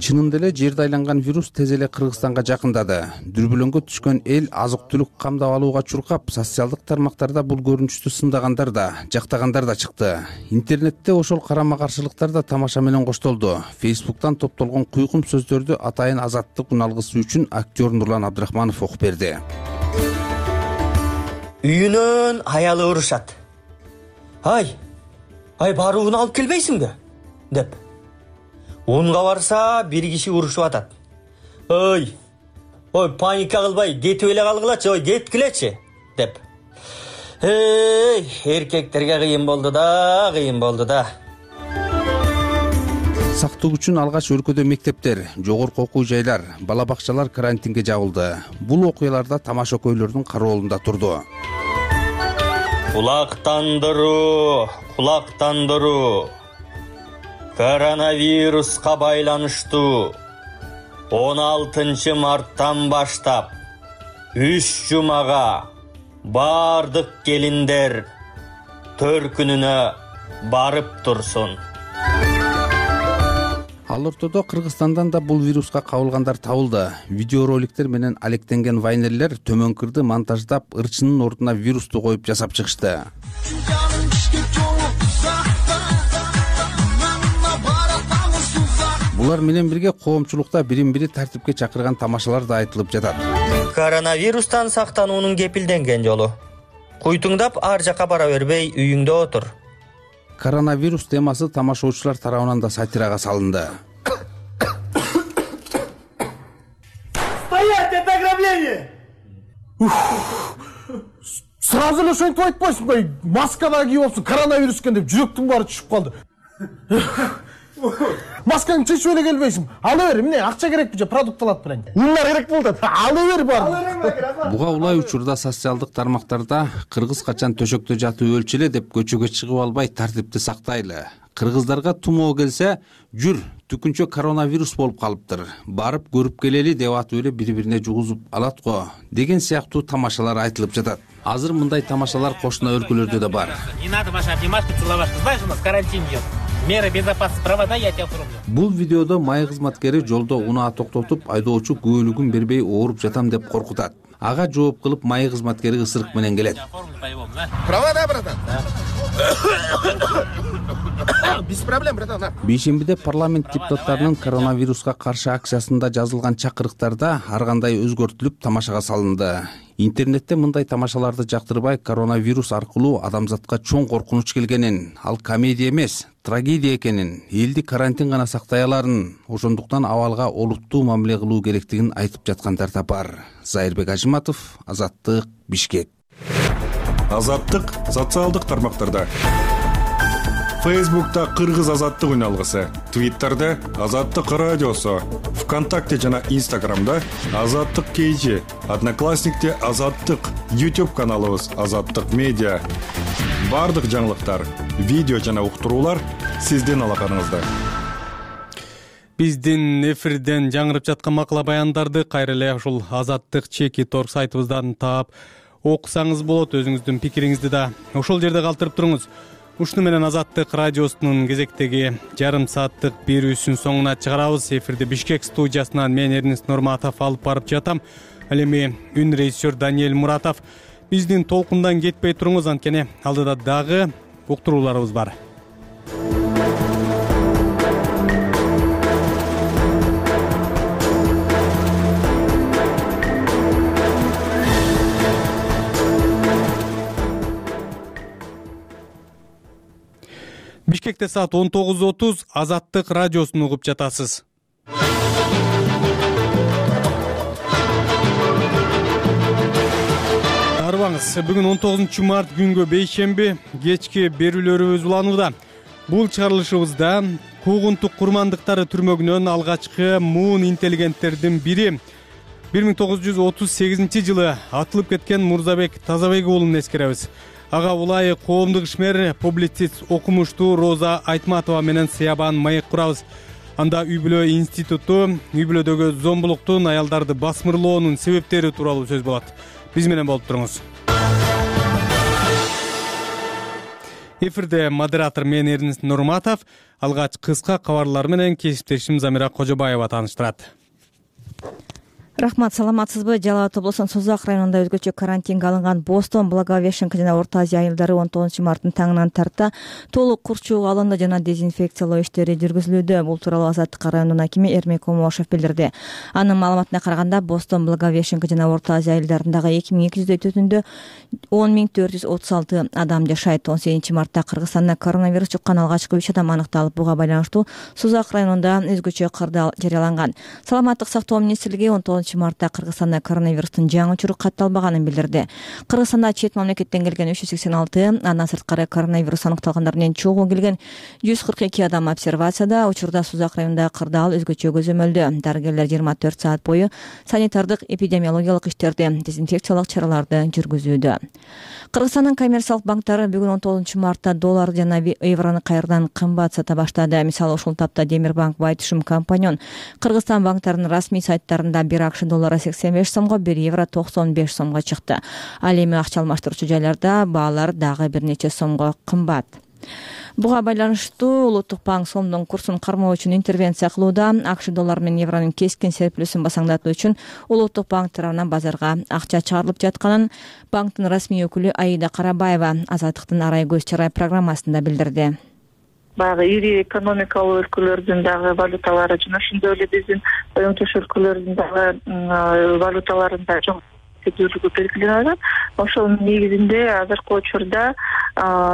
Чынында эле жерде айланган вирус тез эле Кыргызстанга жакындады. Дүрбөлөңгө түшкөн эл азык-түлүк камдап алууга чуркап, социалдык тармактарда бул көрүнүштү сындагандар да, жактагандар да чыкты. Интернетте ошол карама-каршылыктар да тамаша менен коштолду. Фейсбуктан топтолгон куйкум сөздөрдү атайын Азаттык уналгысы үчүн актер Нурлан Абдрахманов окуп берди. Үйүнөн аялы урушат. Ай, ай барууну алып келбейсиңби? деп. Унга барса бир киши урушуп атат. Ой, ой паника кылбай, кетип эле калгылачы, ой кеткилечи деп. Эй, эркектерге кыйын болду да, кыйын болду да. Сактык үчүн алгач өлкөдө мектептер, жогорку окуу жайлар, бала бакчалар карантинге жабылды. Бул окуяларда тамаша көйлөрдүн кароолунда турду. Кулактандыруу, кулактандыруу. Коронавируска байланыштуу он алтынчы марттан баштап үч жумага бардык келиндер төркүнүнө барып турсун. Ал ортодо Кыргызстандан да бул вируска кабылгандар табылды. Видеороликтер менен алектенген вайнерлер төмөнкүрдү монтаждап, ырчынын ордуна вирусту коюп жасап чыгышты. Булар менен бирге коомчулукта бирин-бири тартипке чакырган тамашалар да айтылып жатат. Коронавирустан сактануунун кепилденген жолу. Куйтуңдап ар жака бара бербей, үйүңдө отур. Коронавирус темасы тамашоочулар тарабынан да сатирага салынды. Стоять, это ограбление! Сразу эле ошентип айтпайсыңбы? Маскада кийип алыпсың, коронавирус экен деп жүрөктүн баары түшүп калды. Маскаңды чечип эле келбейсиң. Ала бер, эмне акча керекпи же продукт алат белең. Ундар керек болду. Ала бер бар. Буга улай учурда социалдык тармактарда кыргыз качан төшөктө жатып өлчү эле деп көчөгө чыгып албай тартипти сактайлы. Кыргыздарга тумоо келсе, жүр, түкүнчө коронавирус болуп калыптыр. Барып көрүп келели деп атып эле бири-бирине жугузуп алат го деген сыяктуу тамашалар айтылып жатат. Азыр мындай тамашалар кошуна өлкөлөрдө да бар. Не надо ваши обнимашки целовать. Знаешь, у нас карантин идет. Меры безопасности провода, я тебя оформлю. Бул видеодо май кызматкери жолдо унаа токтотуп, айдоочу күбөлүгүн бербей ооруп жатам деп коркутат. Ага жооп кылып май кызматкери ысырык менен келет. Провода, братан. Без проблем, братан. Бейшембиде парламент депутаттарынын коронавируска каршы акциясында жазылган чакырыктарда ар кандай өзгөртүлүп тамашага салынды. Интернетте мындай тамашаларды жактырбай, коронавирус аркылуу адамзатка чоң коркунуч келгенин, ал комедия эмес, трагедия экенин, элди карантин гана сактай аларын, ошондуктан абалга олуттуу мамиле кылуу керектигин айтып жаткандар да бар. Зайырбек Ажыматов, Азаттык, Бишкек. Азаттык социалдык тармактарда. Фейсбукта Кыргыз Азаттык уналгысы, Твиттерде Азаттык радиосу, ВКонтакте жана Инстаграмда Азаттык кейжи, Одноклассникте Азаттык, YouTube каналыбыз Азаттык медиа. Бардык жаңылыктар, видео жана уктуруулар сиздин алакаңызда. Биздин эфирден жаңырып жаткан макала баяндарды кайра эле ушул Азаттык чеки торг сайтыбыздан таап окусаңыз болот. Өзүңүздүн пикириңизди да ошол жерде калтырып туруңуз. Ушуну менен Азаттык радиосунун кезектеги жарым сааттык берүүсүн соңуна чыгарабыз. Эфирди Бишкек студиясынан мен Эрнест Нурматов алып барып жатам. Ал эми үн режиссер Даниэль Муратов. Биздин толкундан кетпей туруңуз, анткени алдыда дагы уктурууларыбыз бар. Бишкекте саат он тогуз отуз Азаттык радиосун угуп жатасыз. Арбаңыз, бүгүн он тогузунчу март күнгө бейшемби кечки берүүлөрүбүз уланууда. Бул чыгарылышыбызда куугунтук курмандыктары түрмөгүнөн алгачкы муун интеллигенттердин бири бир миң тогуз жүз отуз сегизинчи жылы атылып кеткен Мурзабек Тазабек уулун эскеребиз. Ага улай коомдук ишмер, публицист, окумуштуу Роза Айтматова менен сыябан маек курабыз. Анда үй бүлө институту, үй бүлөдөгү зомбулуктун, аялдарды басмырлоонун себептери тууралуу сөз болот. Биз менен болуп туруңуз. Эфирде модератор мен Эрнест Нурматов, алгач кыска кабарлар менен кесиптешим Замира Кожобаева тааныштырат. Рахмат, саламатсызбы? Жалал Абад облусунун Созак районунда өзгөчө карантинге алынган Бостон, Благовещенка жана Орто Азия айылдары он тогузунчу марттын таңынан тарта толук курчууга алынды жана дезинфекциялоо иштери жүргүзүлүүдө. Бул тууралуу Азаттык районунун акими Эрмек Омошев билдирди. Анын маалыматына караганда Бостон, Благовещенка жана Орто Азия айылдарындагы эки миң эки жүздөй төтүндө он миң төрт жүз отуз алты адам жашайт. он сегизинчи мартта Кыргызстанда коронавирус жуккан алгачкы үч адам аныкталып, буга байланыштуу Созак районунда өзгөчө кырдаал жарыяланган. Саламаттык сактоо министрлиги он тогузунчу мартта Кыргызстанда коронавирустун жаңы учуру катталбаганын билдирди. Кыргызстанда чет мамлекеттен келген үч жүз сексен алты, андан сырткары коронавирус аныкталгандардын эң чогуу келген жүз кырк эки адам обсервацияда. Учурда Созак районунда кырдаал өзгөчө көзөмөлдө. Дарыгерлер жыйырма төрт саат бою санитардык эпидемиологиялык иштерди, дезинфекциялык чараларды жүргүзүүдө. Кыргызстандын коммерциялык банктары бүгүн он тогузунчу мартта доллар жана еврону кайрадан кымбат сата баштады. Мисалы, ушул тапта Демир банк, Байтушум, Компаньон Кыргызстан банктарынын расмий сайттарында бир акш доллары сексен беш сомго, бир евро токсон беш сомго чыкты. Ал эми акча алмаштыруучу жайларда баалар дагы бир нече сомго кымбат. Буга байланыштуу Улуттук банк сомдун курсун кармоо үчүн интервенция кылууда. акш доллары менен евронун кескин серпилүүсүн басаңдатуу үчүн Улуттук банк тарабынан базарга акча чыгарылып жатканын банктын расмий өкүлү Аида Карабаева Азаттыктын арай көз чарай программасында билдирди. Баягы ири экономикалык өлкөлөрдүн дагы валюталары жана ошондой эле биздин оюн-төш өлкөлөрдүн дагы валюталарында жок көтөрүлүүгө белгиленет. Ошонун негизинде азыркы учурда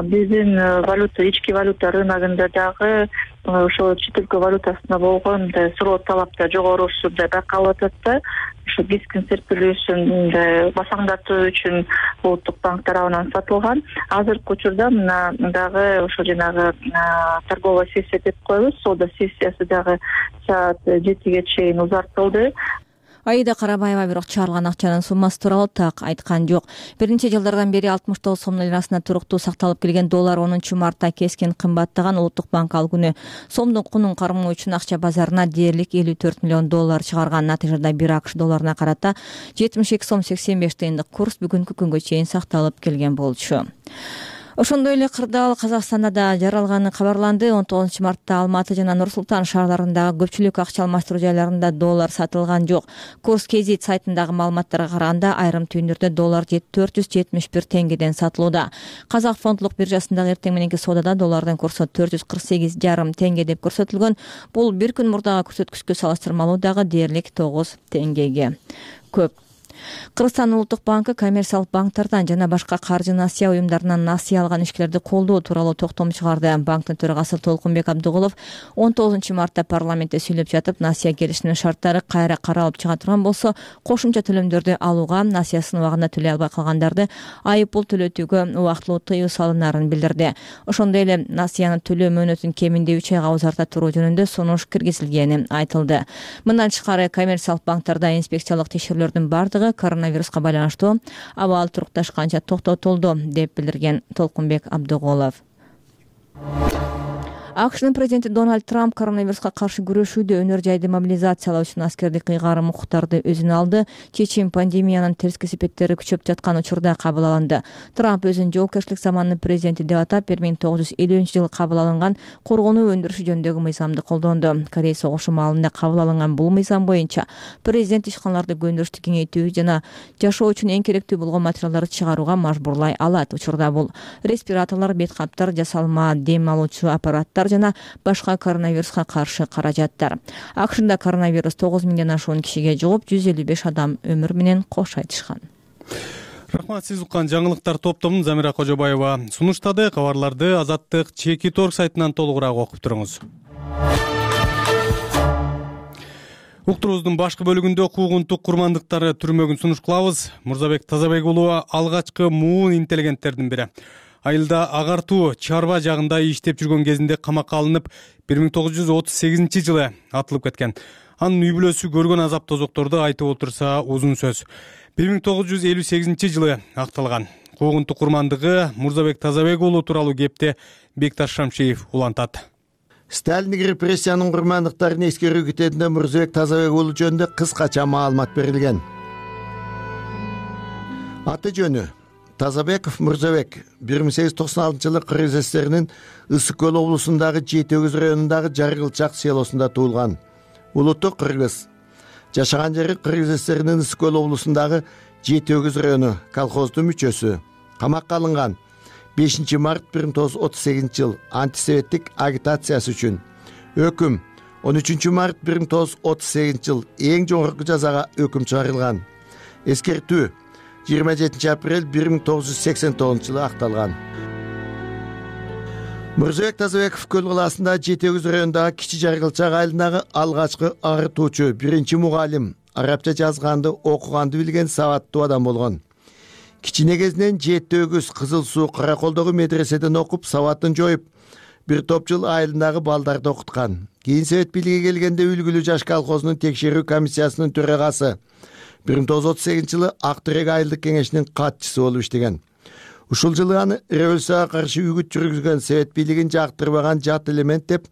биздин валюта, ички валюта рыногунда дагы ошо чет өлкө валютасына болгон суроо талап да жогорусу да байкалып атат да. Ошо кескин серпилүүсүн басаңдатуу үчүн Улуттук банк тарабынан сатылган. Азыркы учурда мына дагы ошо жанагы торговая сессия деп коебуз, соода сессиясы дагы саат жетиге чейин узартылды. Аида Карабаева бирок чыгарылган акчанын суммасы тууралуу так айткан жок. Бир нече жылдардан бери алтымыш тогуз сомдун лирасына туруктуу сакталып келген доллар онунчу мартта кескин кымбаттаган. Улуттук банк ал күнү сомдун кунун кармоо үчүн акча базарына дээрлик элүү төрт миллион доллар чыгарган. Натыйжада бир акш долларына карата жетимиш эки сом сексен беш тыйындык курс бүгүнкү күнгө чейин сакталып келген болчу. Ошондой эле кырдаал Казакстанда да жаралганы кабарланды. он тогузунчу мартта Алматы жана Нур Султан шаарларындагы көпчүлүк акча алмаштыруу жайларында доллар сатылган жок. Курс Кезит сайтындагы маалыматтарга караганда айрым түйүндөрдө доллар төрт жүз жетимиш бир теңгеден сатылууда. Казак фондулук биржасындагы эртең мененки соодада доллардын курсу төрт жүз кырк сегиз жарым теңге деп көрсөтүлгөн. Бул бир күн мурдагы көрсөткүчкө салыштырмалуу дагы дээрлик тогуз теңгеге көп. Кыргызстан Улуттук банкы коммерциялык банктардан жана башка каржы насыя уюмдарынан насыя алган ишкерлерди колдоо тууралуу токтом чыгарды. Банктын төрагасы Толкунбек Абдыгулов он тогузунчу мартта парламентте сүйлөп жатып, насыя келишиминин шарттары кайра каралып чыга турган болсо, кошумча төлөмдөрдү алууга, насыясын убагында төлөй албай калгандарды айып пул төлөтүүгө убактылуу тыюу салынарын билдирди. Ошондой эле насыяны төлөө мөөнөтүн кеминде үч айга узарта туруу жөнүндө сунуш киргизилгени айтылды. Мындан тышкары коммерциялык банктарда инспекциялык текшерүүлөрдүн бардыгы коронавируска байланыштуу абал турукташканча токтотулду деп билдирген Толкунбек Абдыгулов. акшнын президенти Дональд Трамп коронавируска каршы күрөшүүдө өнөр жайды мобилизациялоо үчүн аскердик ыйгарым укуктарды өзүнө алды. Чечим пандемиянын терс кесепеттери күчөп жаткан учурда кабыл алынды. Трамп өзүн жоопкерчилик заманынын президенти деп атап, бир миң тогуз жүз элүүнчү жылы кабыл алынган коргонуу өндүрүшү жөнүндөгү мыйзамды колдонду. Корей согушу маалында кабыл алынган бул мыйзам боюнча президент ишканаларды көндүрүштү кеңейтүү жана жашоо үчүн эң керектүү болгон материалдарды чыгарууга мажбурлай алат. Учурда бул респираторлор, бет каптар, жасалма дем алуучу аппараттар жана башка коронавируска каршы каражаттар. акшнда коронавирус тогуз миңден ашуун кишиге жугуп, жүз элүү беш адам өмүр менен кош айтышкан. Рахмат, сиз уккан жаңылыктар топтомун Замира Кожобаева сунуштады. Кабарларды Азаттык чекит орг сайтынан толугураак окуп туруңуз. Уктурубуздун башкы бөлүгүндө куугунтук курмандыктары түрмөгүн сунуш кылабыз. Мурзабек Тазабек уулу алгачкы муун интеллигенттердин бири. Айылда агартуу чарба жагында иштеп жүргөн кезинде камакка алынып, бир миң тогуз жүз отуз сегизинчи жылы атылып кеткен. Анын үй бүлөсү көргөн азап тозокторду айтып отурса узун сөз. бир миң тогуз жүз элүү сегизинчи жылы акталган. Куугунтук курмандыгы Мурзабек Тазабек уулу тууралуу кепти Бекташ Шамшиев улантат. Сталиндик репрессиянын курмандыктарын эскерүү китебинде Мурзабек Тазабек уулу жөнүндө кыскача маалымат берилген. Аты жөнү Тазабеков Мурзабек бир миң сегиз жүз токсон алтынчы жылы Кыргыз СССРинин Ысык көл облусундагы Жети өгүз районундагы Жаргылчак селосунда туулган. Улуту кыргыз. Жашаган жери Кыргыз СССРинин Ысык көл облусундагы Жети өгүз району, колхоздун мүчөсү. Камакка алынган бешинчи март бир миң тогуз жүз отуз сегизинчи жыл антисоветтик агитациясы үчүн. Өкүм он үчүнчү март бир миң тогуз жүз отуз сегизинчи жыл эң жогорку жазага өкүм чыгарылган. Эскертүү жыйырма жетинчи апрель бир миң тогуз жүз сексен тогузунчу жылы акталган. Мурзабек Тазабеков Көл калаасында Жети өгүз районундагы Кичи Жаргылчак айылындагы алгачкы агыртуучу, биринчи мугалим, арабча жазганды, окуганды билген сабаттуу адам болгон. Кичине кезинен Жети өгүз Кызыл Суу Караколдогу медреседен окуп, сабатын жоюп, бир топ жыл айылындагы балдарды окуткан. Кийин Совет бийлиги келгенде Үлгүлүү жаш колхозунун текшерүү комиссиясынын төрагасы, бир миң тогуз жүз отуз сегизинчи жылы Ак Терек айылдык кеңешинин катчысы болуп иштеген. Ушул жылы аны революцияга каршы үгүт жүргүзгөн, Совет бийлигин жактырбаган жат элемент деп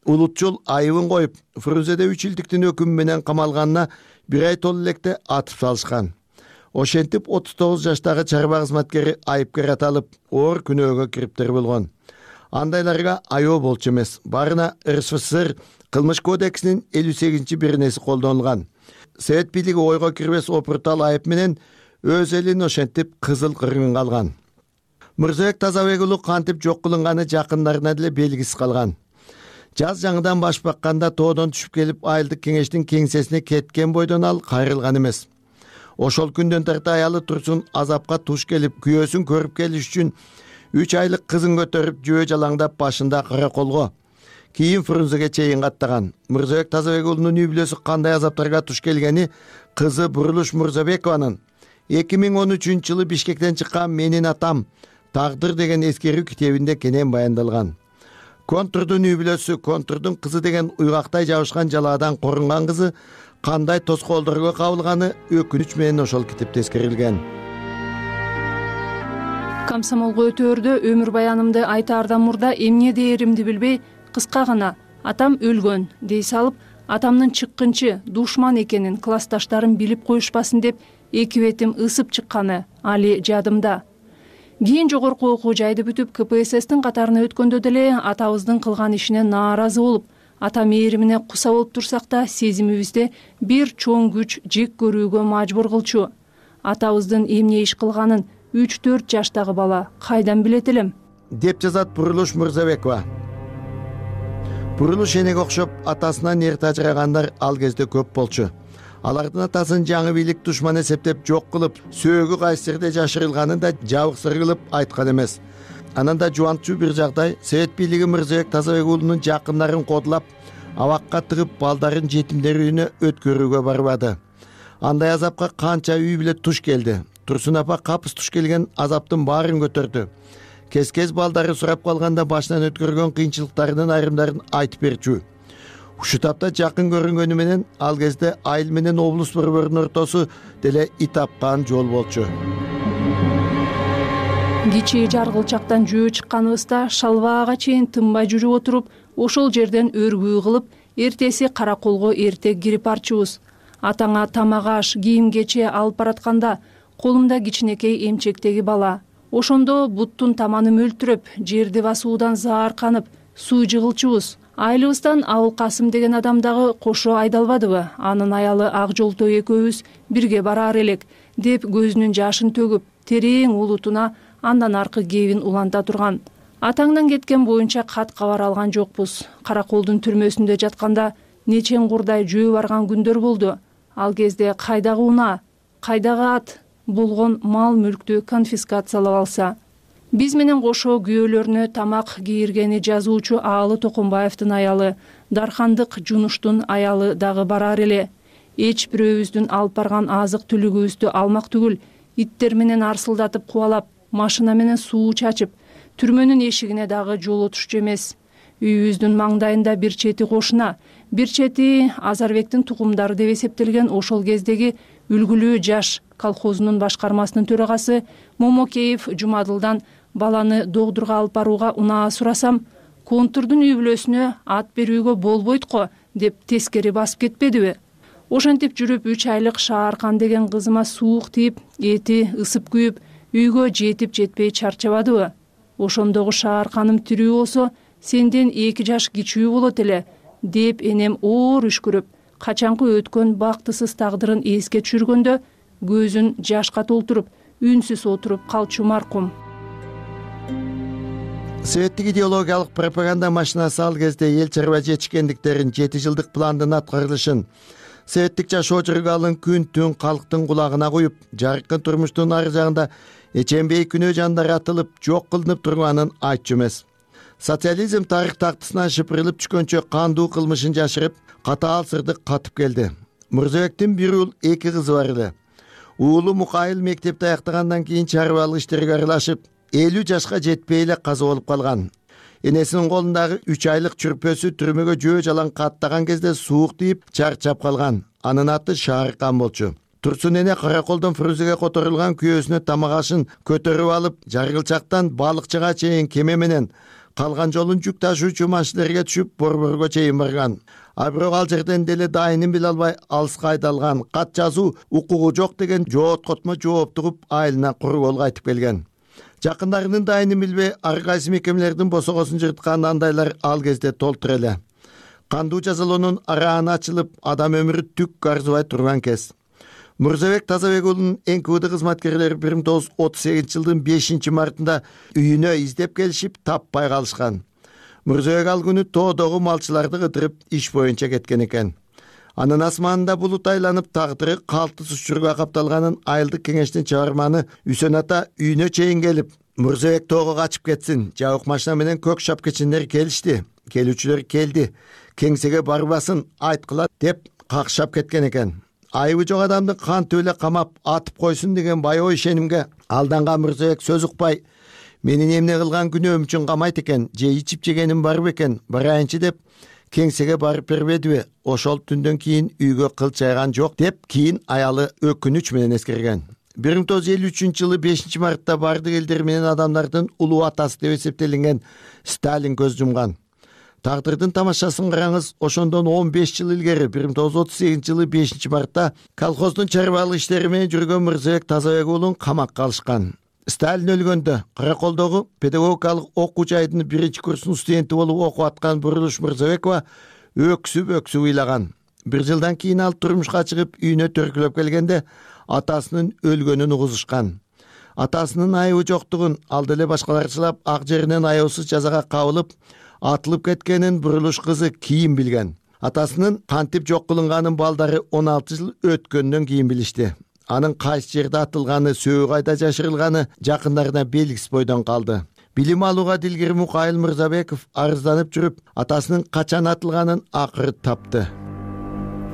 улутчул айыбын коюп, Фрунзеде үч жылдыктын өкүмү менен камалганына бир ай толуу электе атып салышкан. Ошентип отуз тогуз жаштагы чарба кызматкери айыпкер аталып, оор күнөөгө кириптер болгон. Андайларга айоо болчу эмес. Барына РСФСР кылмыш кодексинин элүү сегизинчи беренеси колдонулган. Совет бийлиги ойго кирбес опуртал айып менен өз элин ошентип кызыл кыргынга алган. Мурзабек Тазабек уулу кантип жок кылынганы жакындарына деле белгисиз калган. Жаз жаңыдан баш бакканда тоодон түшүп келип айылдык кеңештин кеңсесине кеткен бойдон ал кайрылган эмес. Ошол күндөн тарта аялы Турсун азапка туш келип, күйөөсүн көрүп келиш үчүн үч айлык кызын көтөрүп жөө жалаңдап башында караколго, кийин Фрунзеге чейин каттаган. Мурзабек Тазабек уулунун үй бүлөсү кандай азаптарга туш келгени кызы Бурулуш Мурзабекованын эки миң он үчүнчү жылы Бишкектен чыккан Менин атам Тагдыр деген эскерүү китебинде кенен баяндалган. Контурдун үй бүлөсү, Контурдун кызы деген уйгактай жабышкан жалаадан корунган кызы кандай тоскоолдорго кабылганы өкүнүч менен ошол китепте эскерилген. Комсомолго өтөөрдө өмүр баянымды айтаардан мурда эмне дээримди билбей, кыска гана атам өлгөн дей салып, атамдын чыккынчы душман экенин классташтарым билип коюшпасын деп эки бетим ысып чыкканы али жадымда. Кийин жогорку окуу жайды бүтүп, К П С Стин катарына өткөндө деле атабыздын кылган ишине нааразы болуп, ата мээримине куса болуп турсак да, сезимибизде бир чоң күч жек көрүүгө мажбур кылчу. Атабыздын эмне иш кылганын үч төрт жаштагы бала кайдан билет элем? Деп жазат Бурулуш Мурзабекова. Бурулуш энеге окшоп атасынан эрте ажырагандар ал кезде көп болчу. Алардын атасын жаңы бийлик душман эсептеп жок кылып, сөөгү кайсы жерде жашырылганын да жабыксыр кылып айткан эмес. Анан да жубантчу бир жагдай Совет бийлиги Мурзабек Тазабек уулунун жакындарын кодулап, абакка тыгып, балдарын жетимдер үйүнө өткөрүүгө барбады. Андай азапка канча үй бүлө туш келди. Турсун апа капыс туш келген азаптын баарын көтөрдү. Кез-кез балдары сурап калганда башынан өткөргөн кыйынчылыктарынын айрымдарын айтып берчү. Ушул тапта жакын көрүнгөнү менен ал кезде айыл менен облус борборунун ортосу деле ит тапкан жол болчу. Кичи Жаргылчактан жөө чыкканыбызда шалбаага чейин тынбай жүрүп отуруп, ошол жерден өргүү кылып, эртеси караколго эрте кирип барчубуз. Атаңа тамак аш, кийим кече алып баратканда колумда кичинекей эмчектеги бала. Ошондо буттун таманы мөлтүрөп, жерди басуудан заарканып, суу жыгылчубуз. Айылыбыздан Абыл Касым деген адам дагы кошо айдалбадыбы? Анын аялы Ак Жолтой экөөбүз бирге бараар элек, деп көзүнүн жашын төгүп, терең улутуна андан аркы кебин уланта турган. Атаңдан кеткен боюнча кат кабар алган жокпуз. Караколдун түрмөсүндө жатканда нечен курдай жөө барган күндөр болду. Ал кезде кайдагы унаа, кайдагы ат, болгон мал мүлктү конфискациялап алса. Биз менен кошо күйөөлөрүнө тамак кийиргени жазуучу Аалы Токонбаевдин аялы, Дархандык Жунуштун аялы дагы барар эле. Эч бирөөбүздүн алып барган азык түлүгүбүздү алмак түгүл, иттер менен арсылдатып кубалап, машина менен суу чачып, түрмөнүн эшигине дагы жолотушчу эмес. Үйүбүздүн маңдайында бир чети кошуна, бир чети Азарбектин тукумдары деп эсептелген ошол кездеги Үлгүлүү жаш колхозунун башкармасынын төрагасы Момокеев Жумадылдан баланы докторго алып барууга унаа сурасам, контурдун үй бүлөсүнө ат берүүгө болбойт го деп тескери басып кетпедиби? Ошентип жүрүп үч айлык Шааркан деген кызыма суук тийип, эти ысып күйүп, үйгө жетип жетпей чарчабадыбы? Ошондогу Шаарканым тирүү болсо, сенден эки жаш кичүү болот эле, деп энем оор үшкүрүп, качанкы өткөн бактысыз тагдырын эске түшүргөндө көзүн жашка толтуруп, үнсүз отуруп калчу маркум. Советтик идеологиялык пропаганда машинасы ал кезде эл чарба жетишкендиктерин, жети жылдык пландын аткарылышын, советтик жашоо жыргалын күн-түн калктын кулагына куюп, жаркын турмуштун ар жагында эчембей күнөө жандар атылып, жок кылынып турганын айтчу эмес. Социализм тарых тактысынан шыпырылып түшкөнчө кандуу кылмышын жашырып, катаал сырды катып келди. Мырзабектин бир уул, эки кызы бар эле. Уулу Мукайыл мектепти аяктагандан кийин чарбалык иштерге аралашып, элүү жашка жетпей эле каза болуп калган. Энесинин колундагы үч айлык чүрпөсү түрмөгө жөө жалаң каттаган кезде суук тийип, чарчап калган. Анын аты Шааркан болчу. Турсун эне караколдон Фрузеге которулган күйөөсүнө тамак ашын көтөрүп алып, Жаргылчактан балыкчыга чейин кеме менен, калган жолун жүк ташуучу машинелерге түшүп, Борборго чейин барган. А бирок ал жерден деле дайынын биле албай алыска айдалган. Кат жазуу укугу жок деген жооткотмо жооп тугуп, айылына кургол кайтып келген. Жакындарынын дайынын билбей, ар кайсы мекемелердин босогосун жырткан андайлар ал кезде толтур эле. Кандуу жазалоонун арааны ачылып, адам өмүрү түк арзыбай турган кез. Мырзабек Тазабек уулунун эн кы вэ дэ кызматкерлери бир миң тогуз жүз отуз сегизинчи жылдын бешинчи мартында үйүнө издеп келишип, таппай калышкан. Мырзабек ал күнү тоодогу малчыларды кыдырып, иш боюнча кеткен экен. Анын асманында булут айланып, тагдыры калтыс учурга капталганын айылдык кеңештин чыгарманы Үсөн ата үйүнө чейин келип, Мырзабек тоого качып кетсин, жабык машина менен көк шапкечиндер келишти. Келүүчүлөр келди. Кеңсеге барбасын, айткыла деп какшап кеткен экен. Айыбы жок адамды кантип эле камап атып койсун деген баягы ишенимге алданган Мырзабек сөз укпай, менин эмне кылган күнөөм үчүн камайт экен, же ичип жегеним бар бекен, барайынчы деп кеңсеге барып бербедиби? Ошол түндөн кийин үйгө кыл чайган жок деп кийин аялы өкүнүч менен эскерген. бир миң тогуз жүз элүү үчүнчү жылы бешинчи мартта бардык элдер менен адамдардын улуу атасы деп эсептелинген Сталин көз жумган. Тагдырдын тамашасын караңыз. Ошондон он беш жыл илгери бир миң тогуз жүз отуз сегизинчи жылы бешинчи мартта колхоздун чарбалык иштери менен жүргөн Мырзабек Тазабек уулун камакка алышкан. Сталин өлгөндө Караколдогу педагогикалык окуу жайдын биринчи курсунун студенти болуп окуп аткан Бурулуш Мырзабекова өксүп өксүп ыйлаган. Бир жылдан кийин ал турмушка чыгып, үйүнө төркүлөп келгенде атасынын өлгөнүн угузушкан. Атасынын айыбы жоктугун, ал деле башкаларчылап ак жеринен аябсыз жазага кабылып, атылып кеткенин Бурулуш кызы кийин билген. Атасынын кантип жок кылынганын балдары он алты жыл өткөндөн кийин билишти. Анын кайсы жерде атылганы, сөөй кайда жашырылганы жакындарына белгисиз бойдон калды. Билим алууга дилгир Мукайыл Мырзабеков арызданып жүрүп, атасынын качан атылганын акыры тапты.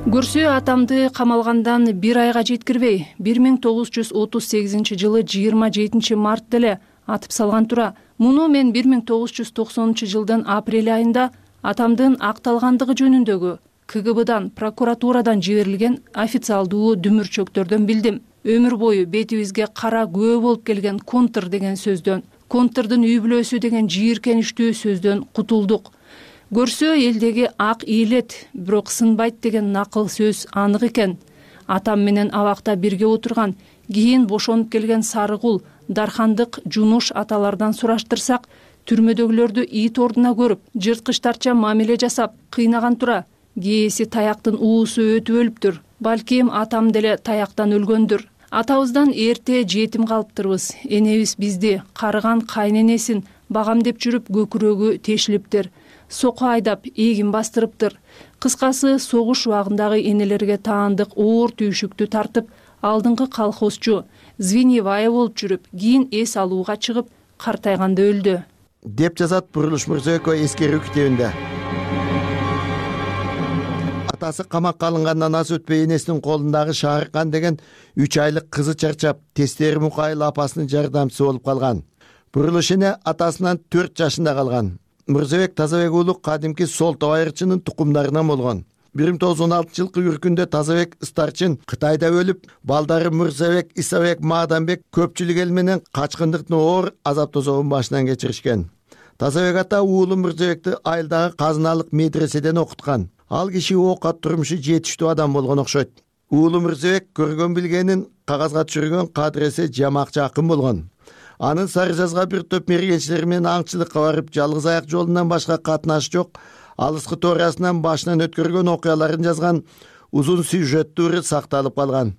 Көрсө атамды камалгандан бир айга жеткирбей, бир миң тогуз жүз отуз сегизинчи жылы жыйырма жетинчи март деле атып салган тура. Муну мен бир миң тогуз жүз токсонунчу жылдын апрель айында атамдын акталгандыгы жөнүндөгү К Г Б'дан, прокуратурадан жиберилген официалдуу дүмүрчөктөрдөн билдим. Өмүр бою бетибизге кара күбө болуп келген контр деген сөздөн, контрдун үй бүлөсү деген жийиркеничтүү сөздөн кутулдук. көрсө элдеги ак ийилет, бирок сынбайт деген накыл сөз анык экен. Атам менен абакта бирге отурган, кийин бошонуп келген Сарыгул, Дархандык, Жунуш аталардан сураштырсак, түрмөдөгүлөрдү ит ордуна көрүп, жырткычтарча мамиле жасап, кыйнаган тура. Кээси таяктын уусу өтүп өлүптүр. Балким атам деле таяктан өлгөндүр. Атабыздан эрте жетим калыптырбыз. Энебиз бизди карыган кайненесин багам деп жүрүп көкүрөгү тешилиптир. Соко айдап, эгин бастырыптыр. Кыскасы, согуш убагындагы энелерге таандык оор түйшүктү тартып, алдыңкы колхозчу Звеньевая болуп жүрүп, кийин эс алууга чыгып, картайганда өлдү. Деп жазат Бурулуш Мырзабекова эскерүү китебинде. Атасы камакка алынгандан аз өтпөй энесинин колундагы Шааркан деген үч айлык кызы чарчап, Тестери Мукайыл апасынын жардамчысы болуп калган. Бурулуш эне атасынан төрт жашында калган. Мырзабек Тазабек уулу кадимки Солто айырчынын тукумдарынан болгон. бир миң тогуз жүз он алтынчы жылкы үркүндө Тазабек Старчын Кытайда өлүп, балдары Мырзабек, Исабек, Мааданбек көпчүлүк эл менен качкындыктын оор азап тозогун башынан кечиришкен. Тазабек ата уулу Мырзабекти айылдагы казыналык медреседен окуткан. Ал киши оокат турмушу жетиштүү адам болгон окшойт. Уулу Мырзабек көргөн билгенин кагазга түшүргөн кадыресе жамакчы акын болгон. Анын Сары жазга бир топ мергенчилер менен аңчылыкка барып, жалгыз аяк жолунан башка катнаш жок, алыскы тоорасынан башынан өткөргөн окуяларын жазган узун сюжеттүүрү сакталып калган.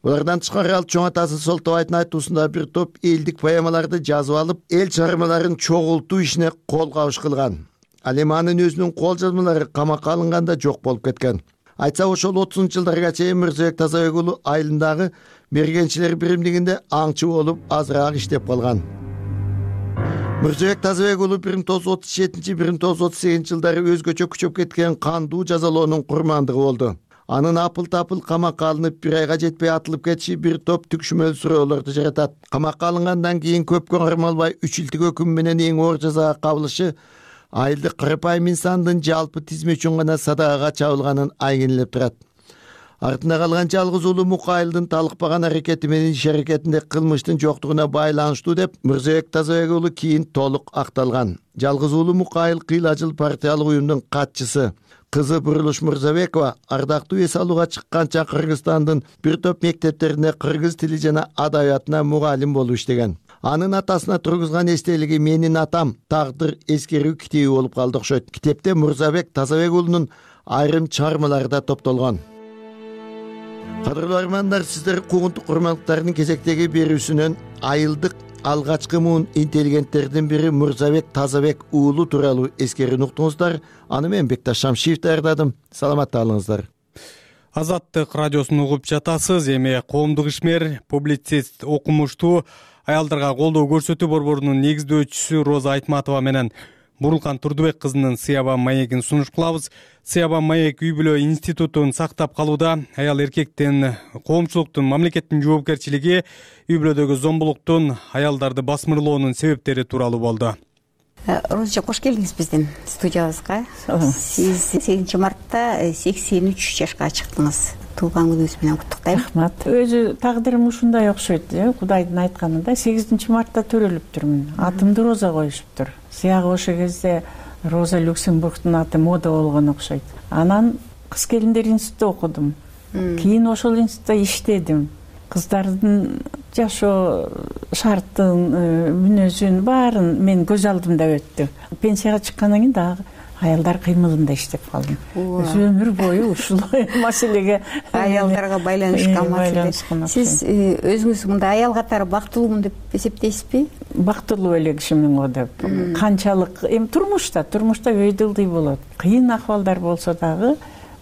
Булардан тышкары ал чоң атасы Солтобайдын айтуусунда бир топ элдик поэмаларды жазып алып, эл чыгармаларын чогултуу ишине кол кабыш кылган. Ал эми анын өзүнүн кол жазмалары камакка алынганда жок болуп кеткен. Айтса, ошол отузунчу жылдарга чейин Мырзабек Тазабек уулу айылындагы мергенчилер биримдигинде аңчы болуп азыраак иштеп калган. Мырзабек Тазабек уулу бир миң тогуз жүз отуз жетинчи — бир миң тогуз жүз отуз сегизинчи жылдары өзгөчө күчөп кеткен кандуу жазалоонун курмандыгы болду. Анын апыл-тапыл камакка алынып, бир айга жетпей атылып кетиши бир топ түкшүмөл сурөөлөрдү жаратат. Камакка алынгандан кийин көпкө кармалбай үч жылдык өкүм менен эң оор жазага кабылышы айылдык карапайым инсандын жалпы тизме үчүн гана садагага чабылганын айгинелеп турат. Артында калган жалгыз уулу Мукайылдын талыкпаган аракети менен иш аракетинде кылмыштын жоктугуна байланыштуу деп Мырзабек Тазабек уулу кийин толук акталган. Жалгыз уулу Мукайыл кыйла жыл партиялык уюмдун катчысы. Кызы Бурулуш Мырзабекова ардактуу эс алууга чыкканча Кыргызстандын бир топ мектептеринде кыргыз тили жана адабиятына мугалим болуп иштеген. Анын атасына тургузган эстелиги «Менин атам» тагдыр эскерүү китеби болуп калды окшойт. Китепте Мырзабек Тазабек уулунун айрым чыгармалары да топтолгон. Кадырлуу армандар, сиздер куугунтук курмандыктардын кезектеги берүүсүнөн айылдык алгачкы муун интеллигенттердин бири Мырзабек Тазабек уулу тууралуу эскерүүнү уктуңуздар. Аны мен Бекташ Шамшиев даярдадым. Саламатта калыңыздар. Азаттык радиосун угуп жатасыз. Эми коомдук ишмер, публицист, окумуштуу, аялдарга колдоо көрсөтүү борборунун негиздөөчүсү Роза Айтматова менен Бурулкан Турдубек кызынын Сыяба маегин сунуш кылабыз. Сыяба маек үй бүлө институтун сактап калууда. Аял эркектин, коомчулуктун, мамлекеттин жоопкерчилиги үй бүлөдөгү зомбулуктун, аялдарды басмырлоонун себептери тууралуу болду. Роза, кош келдиңиз биздин студиябызга. Сиз сегизинчи мартта сексен үч жашка чыктыңыз. Туулган күнүңүз менен куттуктайм. Рахмат. Өзү тагдырым ушундай окшойт, Кудайдын айтканында сегизинчи мартта төрөлүптүрмүн. Атымды Роза коюшуптур. Сыягы ошол кезде Роза Люксембургдун аты мода болгон окшойт. Анан кыз келиндер институтта окудум. Кийин ошол институтта иштедим. Кыздардын жашоо шартын, мүнөзүн баарын мен көз алдымда өттү. Пенсияга чыккандан кийин дагы аялдар кыймылында иштеп калдым. Өзү өмүр бою ушул маселеге аялдарга байланышкан маселе. Сиз өзүңүз мындай аял катары бактылуумун деп эсептейсизби? Бактылуу эле кишимин го деп. Канчалык эми турмушта, турмушта өйдө ылдый болот. Кыйын акыбалдар болсо дагы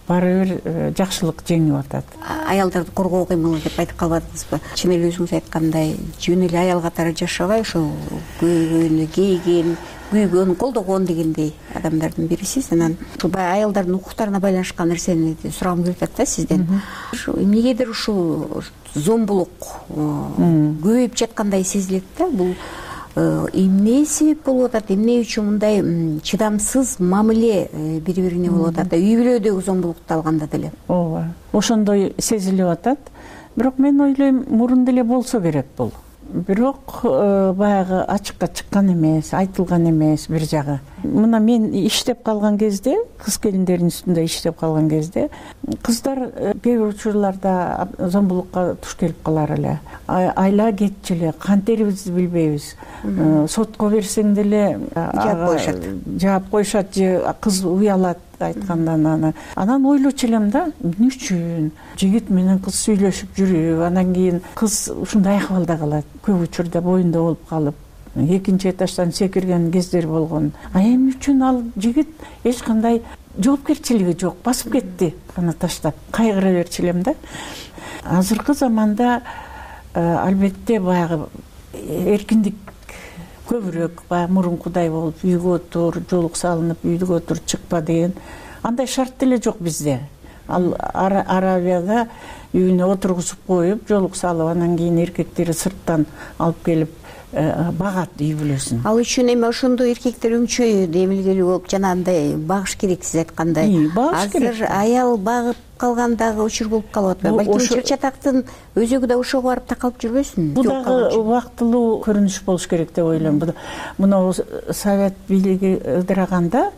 баары бир жакшылык жеңип атат. Аялдарды коргоо кыймылы деп айтып калбадыңызбы? Чын эле өзүңүз айткандай, жөн эле аял катары жашабай, ошол көйгөнү, кейген, күйгөн, колдогон дегендей адамдардын бирисиз. Анан баягы аялдардын укуктарына байланышкан нерсени сурагым келип атат да сизден. Эмнегедир ушул зомбулук көбөйүп жаткандай сезилет да. Бул эмне себеп болуп атат? Эмне үчүн мындай чыдамсыз мамиле бири-бирине болуп атат? Үй бүлөдөгү зомбулукту алганда деле. Ооба, ошондой сезилип атат. Бирок мен ойлойм, мурун деле болсо керек бул. бирок баягы ачыкка чыккан эмес, айтылган эмес бир жагы. Мына мен иштеп калган кезде, кыз келиндердин үстүндө иштеп калган кезде кыздар кээ бир учурларда зомбулукка туш келип калар эле. Айла кетчү эле, кантерибизди билбейбиз. Сотко берсең деле жаап коюшат. Жаап коюшат же кыз уялат айткандан. Аны анан ойлочу элем да, эмне үчүн жигит менен кыз сүйлөшүп жүрүп, анан кийин кыз ушундай акыбалда калат. Көп учурда боюнда болуп калып, экинчи этаждан секирген кездер болгон. А эмне үчүн ал жигит эч кандай жоопкерчилиги жок, басып кетти аны таштап. Кайгыра берчү элем да. Азыркы заманда албетте баягы эркиндик көбүрөөк, баягы мурункудай болуп үйгө отур, жолук салынып үйгө отур, чыкпа деген андай шарт деле жок бизде. Ал Арабияда үйүнө отургузуп коюп, жолук салып, анан кийин эркектери сырттан алып келип багат үй бүлөсүн. Ал үчүн эми ошондой эркектер өңчөй демилгелүү болуп жанагындай багыш керек, сиз айткандай. Азыр аял багып калган дагы учур болуп калып атпайбы? Балким чыр-чатактын өзөгү да ошого барып такалып жүрбөсүн? Бул дагы убактылуу көрүнүш болуш керек деп ойлойм. Мына Совет бийлиги ыдыраганда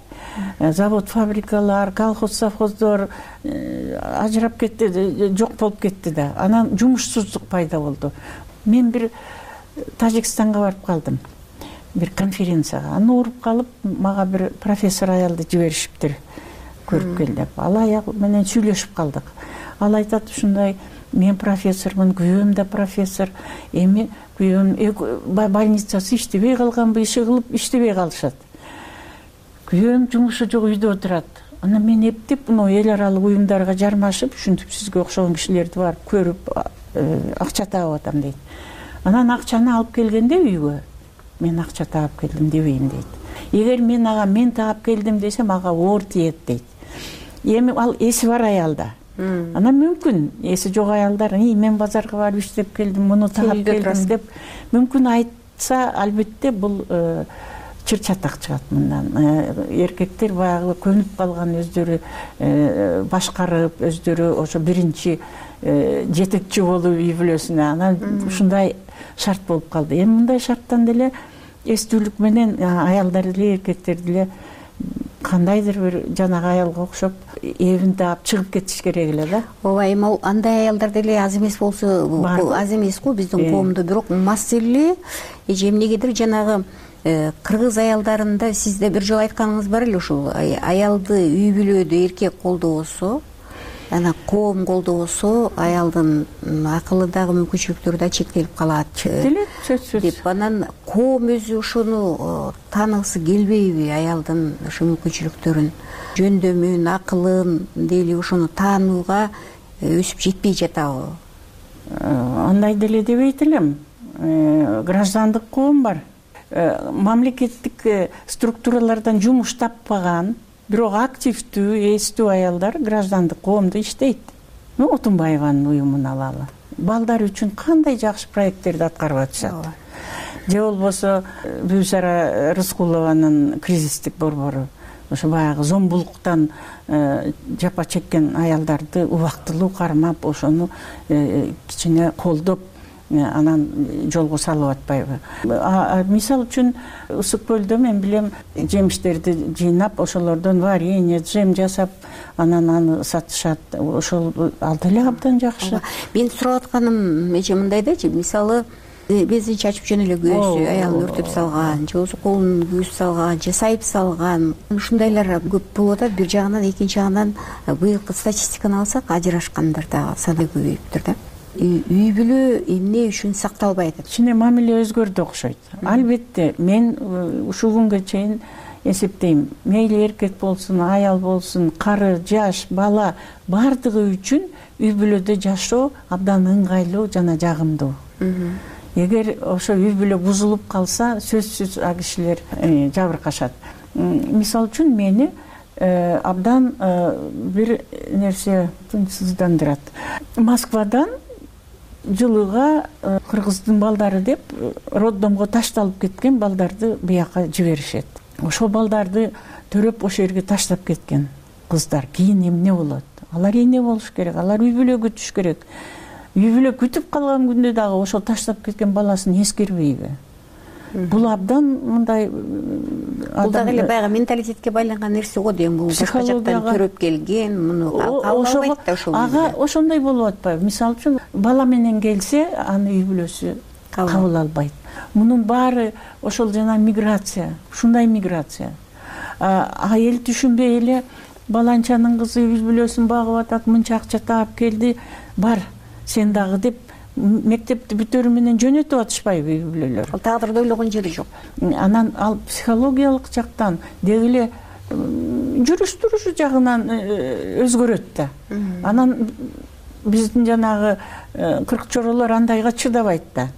завод, фабрикалар, колхоз, совхоздор ажырап кетти, жок болуп кетти да. Анан жумушсуздук пайда болду. Мен бир Тажикстанга барып калдым, бир конференцияга. Аны уруп калып, мага бир профессор аялды жиберишиптир, көрүп кел деп. Ал аял менен сүйлөшүп калдык. Ал айтат ушундай, мен профессормун, күйөөм да профессор. Эми күйөөм больницасы иштебей калганбы, иши кылып иштебей калышат. Күйөөм жумушу жок үйдө отурат. Анан мен эптеп мына эл аралык уюмдарга жармашып, ушинтип сизге окшогон кишилерди барып көрүп, акча таап атам дейт. Анан акчаны алып келгенде үйгө, мен акча таап келдим дебейм дейт. Эгер мен ага мен таап келдим десем, ага оор тиет дейт. Эми ал эси бар аялда. Анан мүмкүн эси жок аялдар, мен базарга барып иштеп келдим, муну таап келдим деп мүмкүн айтса, албетте бул чыр-чатак чыгат мындан. Эркектер баягы көнүп калган, өздөрү башкарып, өздөрү ошо биринчи жетекчи болуп үй бүлөсүнө, анан ушундай шарт болуп калды. Эми мындай шарттан деле эстүүлүк менен аялдар деле, эркектер деле кандайдыр бир жанагы аялга окшоп эбин таап чыгып кетиш керек эле да. Ооба, эми андай аялдар деле аз эмес болсо, аз эмес го биздин коомдо, бирок маселе эже эмнегедир жанагы кыргыз аялдарында сиз да бир жолу айтканыңыз бар эле, ушул аялды үй бүлөдө эркек колдобосо, анан коом колдобосо, аялдын акылы дагы мүмкүнчүлүктөрү да чектелип калат деп. Анан коом өзү ошону тааныгысы келбейби, аялдын ошо мүмкүнчүлүктөрүн, жөндөмүн, акылын дейли ошону таанууга өсүп жетпей жатабы? Андай деле дебейт элем. Граждандык коом бар. Мамлекеттик структуралардан жумуш таппаган, бирок активдүү, эстүү аялдар граждандык коомдо иштейт. Ну, Отунбаеванын уюмун алалы. Балдар үчүн кандай жакшы проекттерди аткарып атышат. Же болбосо Бүсара Рыскулованын кризистик борбору, ошо баягы зомбулуктан жапа чеккен аялдарды убактылуу кармап, ошону кичине колдоп, анан жолго салып атпайбы? Мисал үчүн Ысык көлдө мен билем жемиштерди жыйнап, ошолордон варенье, джем жасап, анан аны сатышат. Ошол ал деле абдан жакшы. Мен сурап атканым эже мындай да, мисалы бензин чачып жөн эле күйөөсү аялын өртөп салган, же болбосо колун күйүп салган, же сайып салган, ушундайлар көп болуп атат. Бир жагынан, экинчи жагынан быйылкы статистиканы алсак, ажырашкандар дагы саны көбөйүптүр да. Үй бүлө эмне үчүн сакталбай атат? Кичине мамиле өзгөрдү окшойт. Албетте, мен ушул күнгө чейин эсептейм, мейли эркек болсун, аял болсун, кары, жаш, бала бардыгы үчүн үй бүлөдө жашоо абдан ыңгайлуу жана жагымдуу. Эгер ошо үй бүлө бузулуп калса, сөзсүз а кишилер жабыркашат. Мисал үчүн мени абдан бир нерсе тынчсыздандырат. Москвадан жылыга кыргыздын балдары деп роддомго ташталып кеткен балдарды бияка жиберишет. Ошол балдарды төрөп ошол жерге таштап кеткен кыздар кийин эмне болот? Алар эне болуш керек, алар үй бүлө күтүш керек. үй бүлө күтүп калган күндө дагы ошол таштап кеткен баласын эскербейби? Бул абдан мындай бул дагы эле баягы менталитетке байланган нерсе го дейм. Бул башка жактан көрүп келген, муну кабыл да ошол. Ага ошондой болуп атпайбы? Мисалы үчүн бала менен келсе, аны үй бүлөсү кабыл албайт. Мунун баары ошол жана миграция, ушундай миграция. Айыл түшүнбөй эле баланчанын кызы үй бүлөсүн багып атат, мынча акча таап келди, бар сен дагы деп мектепти бүтөрү менен жөнөтүп атышпайбы үй бүлөлөр? Ал тагдырды ойлогон жери жок. Анан ал психологиялык жактан деги эле жүрүш турушу жагынан өзгөрөт да. Анан биздин жанагы кырк чоролор андайга чыдабайт да.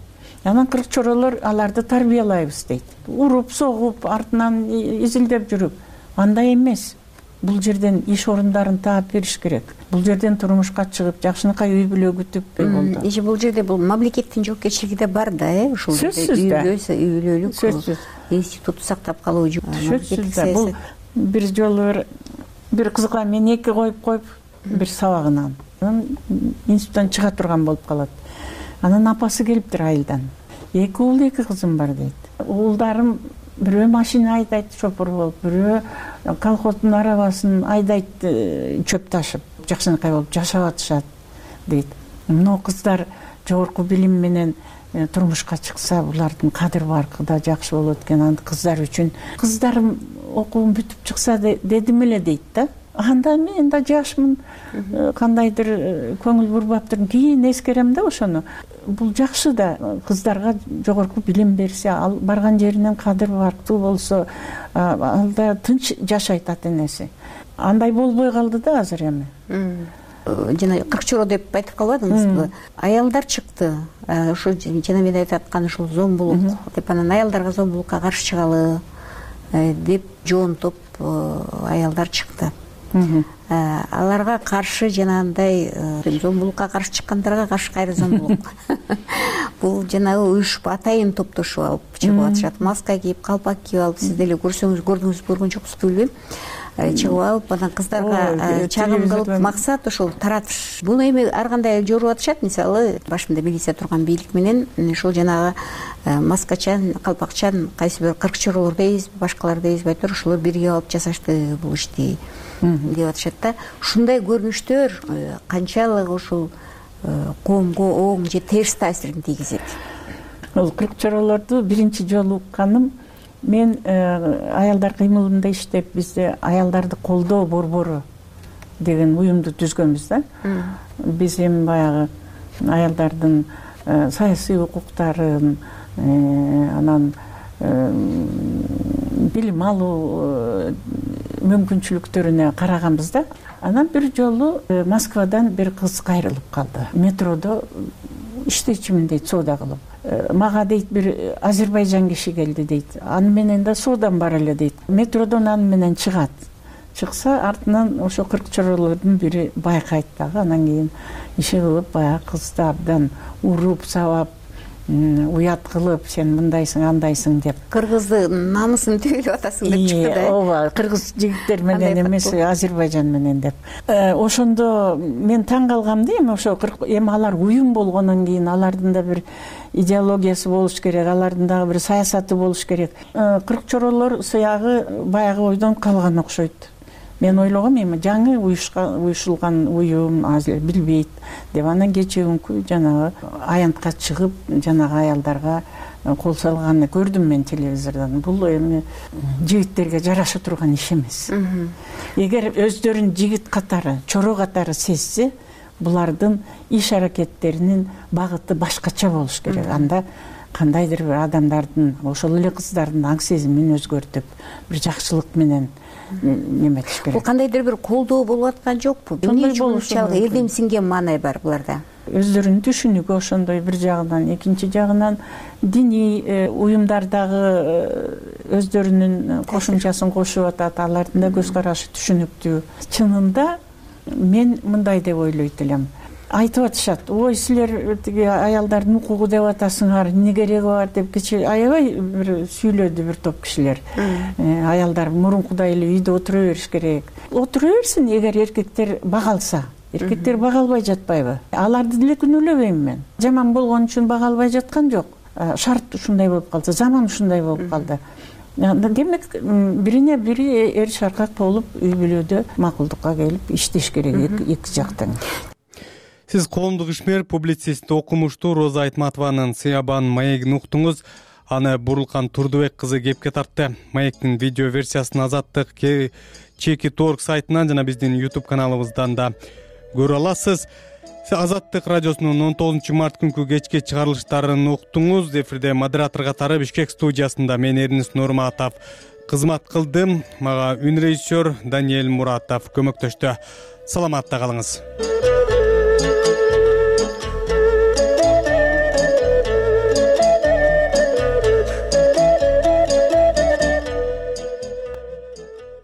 Анан кырк чоролор аларды тарбиялайбыз дейт. Уруп, согуп, артынан изилдеп жүрүп. Андай эмес. Бул жерден иш орундарын таап бериш керек. Бул жерден турмушка чыгып, жакшынакай үй бүлө күтүп болду. Иши бул жерде бул мамлекеттин жоопкерчилиги да бар да, э, ушул жерде үй бүлө, үй бүлөлүк институту сактап калуу. Сөзсүз да. Бул бир жолу бир кызга мен эки коюп коюп, бир сабагынан институттан чыга турган болуп калат. Анан апасы келиптир айылдан. Эки уул, эки кызым бар дейт. Уулдарым бирөө машина айдайт, шопур болуп, бирөө колхоздун арабасын айдайт, чөп ташып, жакшынакай болуп жашап атышат дейт. Мына кыздар жогорку билим менен турмушка чыкса, булардын кадыр баркы да жакшы болот экен. Аны кыздар үчүн кыздарым окуун бүтүп чыкса дедим эле дейт да. Анда мен да жашмын, кандайдыр көңүл бурбаптыр, кийин эскерем да ошону. Бул жакшы да, кыздарга жогорку билим берсе, ал барган жеринен кадыр барктуу болсо, ал да тынч жашайт ата энеси. Андай болбой калды да азыр эми. Жана кырк чоро деп айтып калбадыңызбы? Аялдар чыкты. Ошо жана мен айтып аткан ушул зомбулук деп, анан аялдарга зомбулукка каршы чыгалы деп жоонтоп аялдар чыкты. Аларга каршы жанагындай зомбулукка каршы чыккандарга каршы кайра зомбулук. Бул жанагы уюшуп атайын топтошуп алып чыгып атышат. Маска кийип, калпак кийип алып, сиз деле көрсөңүз, көрдүңүз, көргөн жоксузбу билбейм. Чыгып алып, анан кыздарга чагым кылып, максат ошол таратыш. Буну эми ар кандай жоруп атышат. Мисалы, башында милиция турган бийлик менен ошол жанагы маскачан, калпакчан, кайсы бир кырк чоролор дейбиз, башкалар дейбиз, байтөр ошолор бирге алып жасашты бул ишти деп атышат да. Ушундай көрүнүштөр канчалык ушул коомго оң же терс таасирин тийгизет? Ол кырк чоролорду биринчи жолу укканым мен аялдар кыймылында иштеп, бизде аялдарды колдоо борбору деген уюмду түзгөнбүз да. Биз эми баягы аялдардын саясий укуктарын, анан билим алуу мүмкүнчүлүктөрүнө караганбыз да. Анан бир жолу Москвадан бир кыз кайрылып калды. Метродо иштечимин дейт, соода кылып. Мага дейт бир Азербайжан киши келди дейт. Аны менен да соодам бар эле дейт. Метродон аны менен чыгат. Чыкса артынан ошо кырк чоролордун бири байкайт дагы. Анан кийин иши кылып баягы кызды абдан уруп, сабап, уят кылып, сен мындайсың, андайсың деп. Кыргызды намысын төгүлүп атасың деп чыкты да. Ооба, кыргыз жигиттер менен эмес, Азербайжан менен деп. Ошондо мен таң калгам да, эми ошо эми алар уюм болгондон кийин алардын да бир идеологиясы болуш керек, алардын дагы бир саясаты болуш керек. кырк чоролор сыягы баягы ойдон калган окшойт. Мен ойлогом, эми жаңы уюшулган уюм азыр билбейт деп, анан кечээ күнкү жанагы аянтка чыгып, жанагы аялдарга кол салганын көрдүм мен телевизордон. Бул эми жигиттерге жараша турган иш эмес. Эгер өздөрүн жигит катары, чоро катары сезсе, булардын иш аракеттеринин багыты башкача болуш керек. Анда кандайдыр бир адамдардын, ошол эле кыздардын аң сезимин өзгөртүп, бир жакшылык менен неметиш керек. Бул кандайдыр бир колдоо болуп аткан жокпу? Эмне үчүн ушунчалык элдемсинген маанай бар буларда? Өздөрүнүн түшүнүгү ошондой бир жагынан, экинчи жагынан диний уюмдардагы өздөрүнүн кошумчасын кошуп атат, алардын да көз карашы түшүнүктүү. Чынында мен мындай деп ойлойт элем. Айтып атышат, ой, силер тиги аялдардын укугу деп атасыңар, эмне кереги бар деп кечээ аябай бир сүйлөдү бир топ кишилер. Аялдар мурункудай эле үйдө отура бериш керек. Отура берсин, эгер эркектер бага алса. эркектер бага албай жатпайбы? Аларды деле күнөөлөбөйм мен. Жаман болгон үчүн бага албай жаткан жок. Шарт ушундай болуп калса, заман ушундай болуп калды. Демек бирине бири эр шаркак болуп үй бүлөдө макулдукка келип иштеш керек эки жактан. Сиз коомдук ишмер, публицист, окумуштуу Роза Айтматованын Сыябан маегин уктуңуз. Аны Бурулкан Турдубек кызы кепке тартты. Маектин видео версиясын Азаттык чеки точка орг сайтынан жана биздин YouTube каналыбыздан да көрө аласыз. Азаттык радиосунун он тогузунчу март күнкү кечки чыгарылыштарын уктуңуз. Эфирде модератор катары Бишкек студиясында мен Эрнис Нурматов кызмат кылдым. Мага үн режиссер Даниэль Муратов көмөктөштү. Саламатта калыңыз.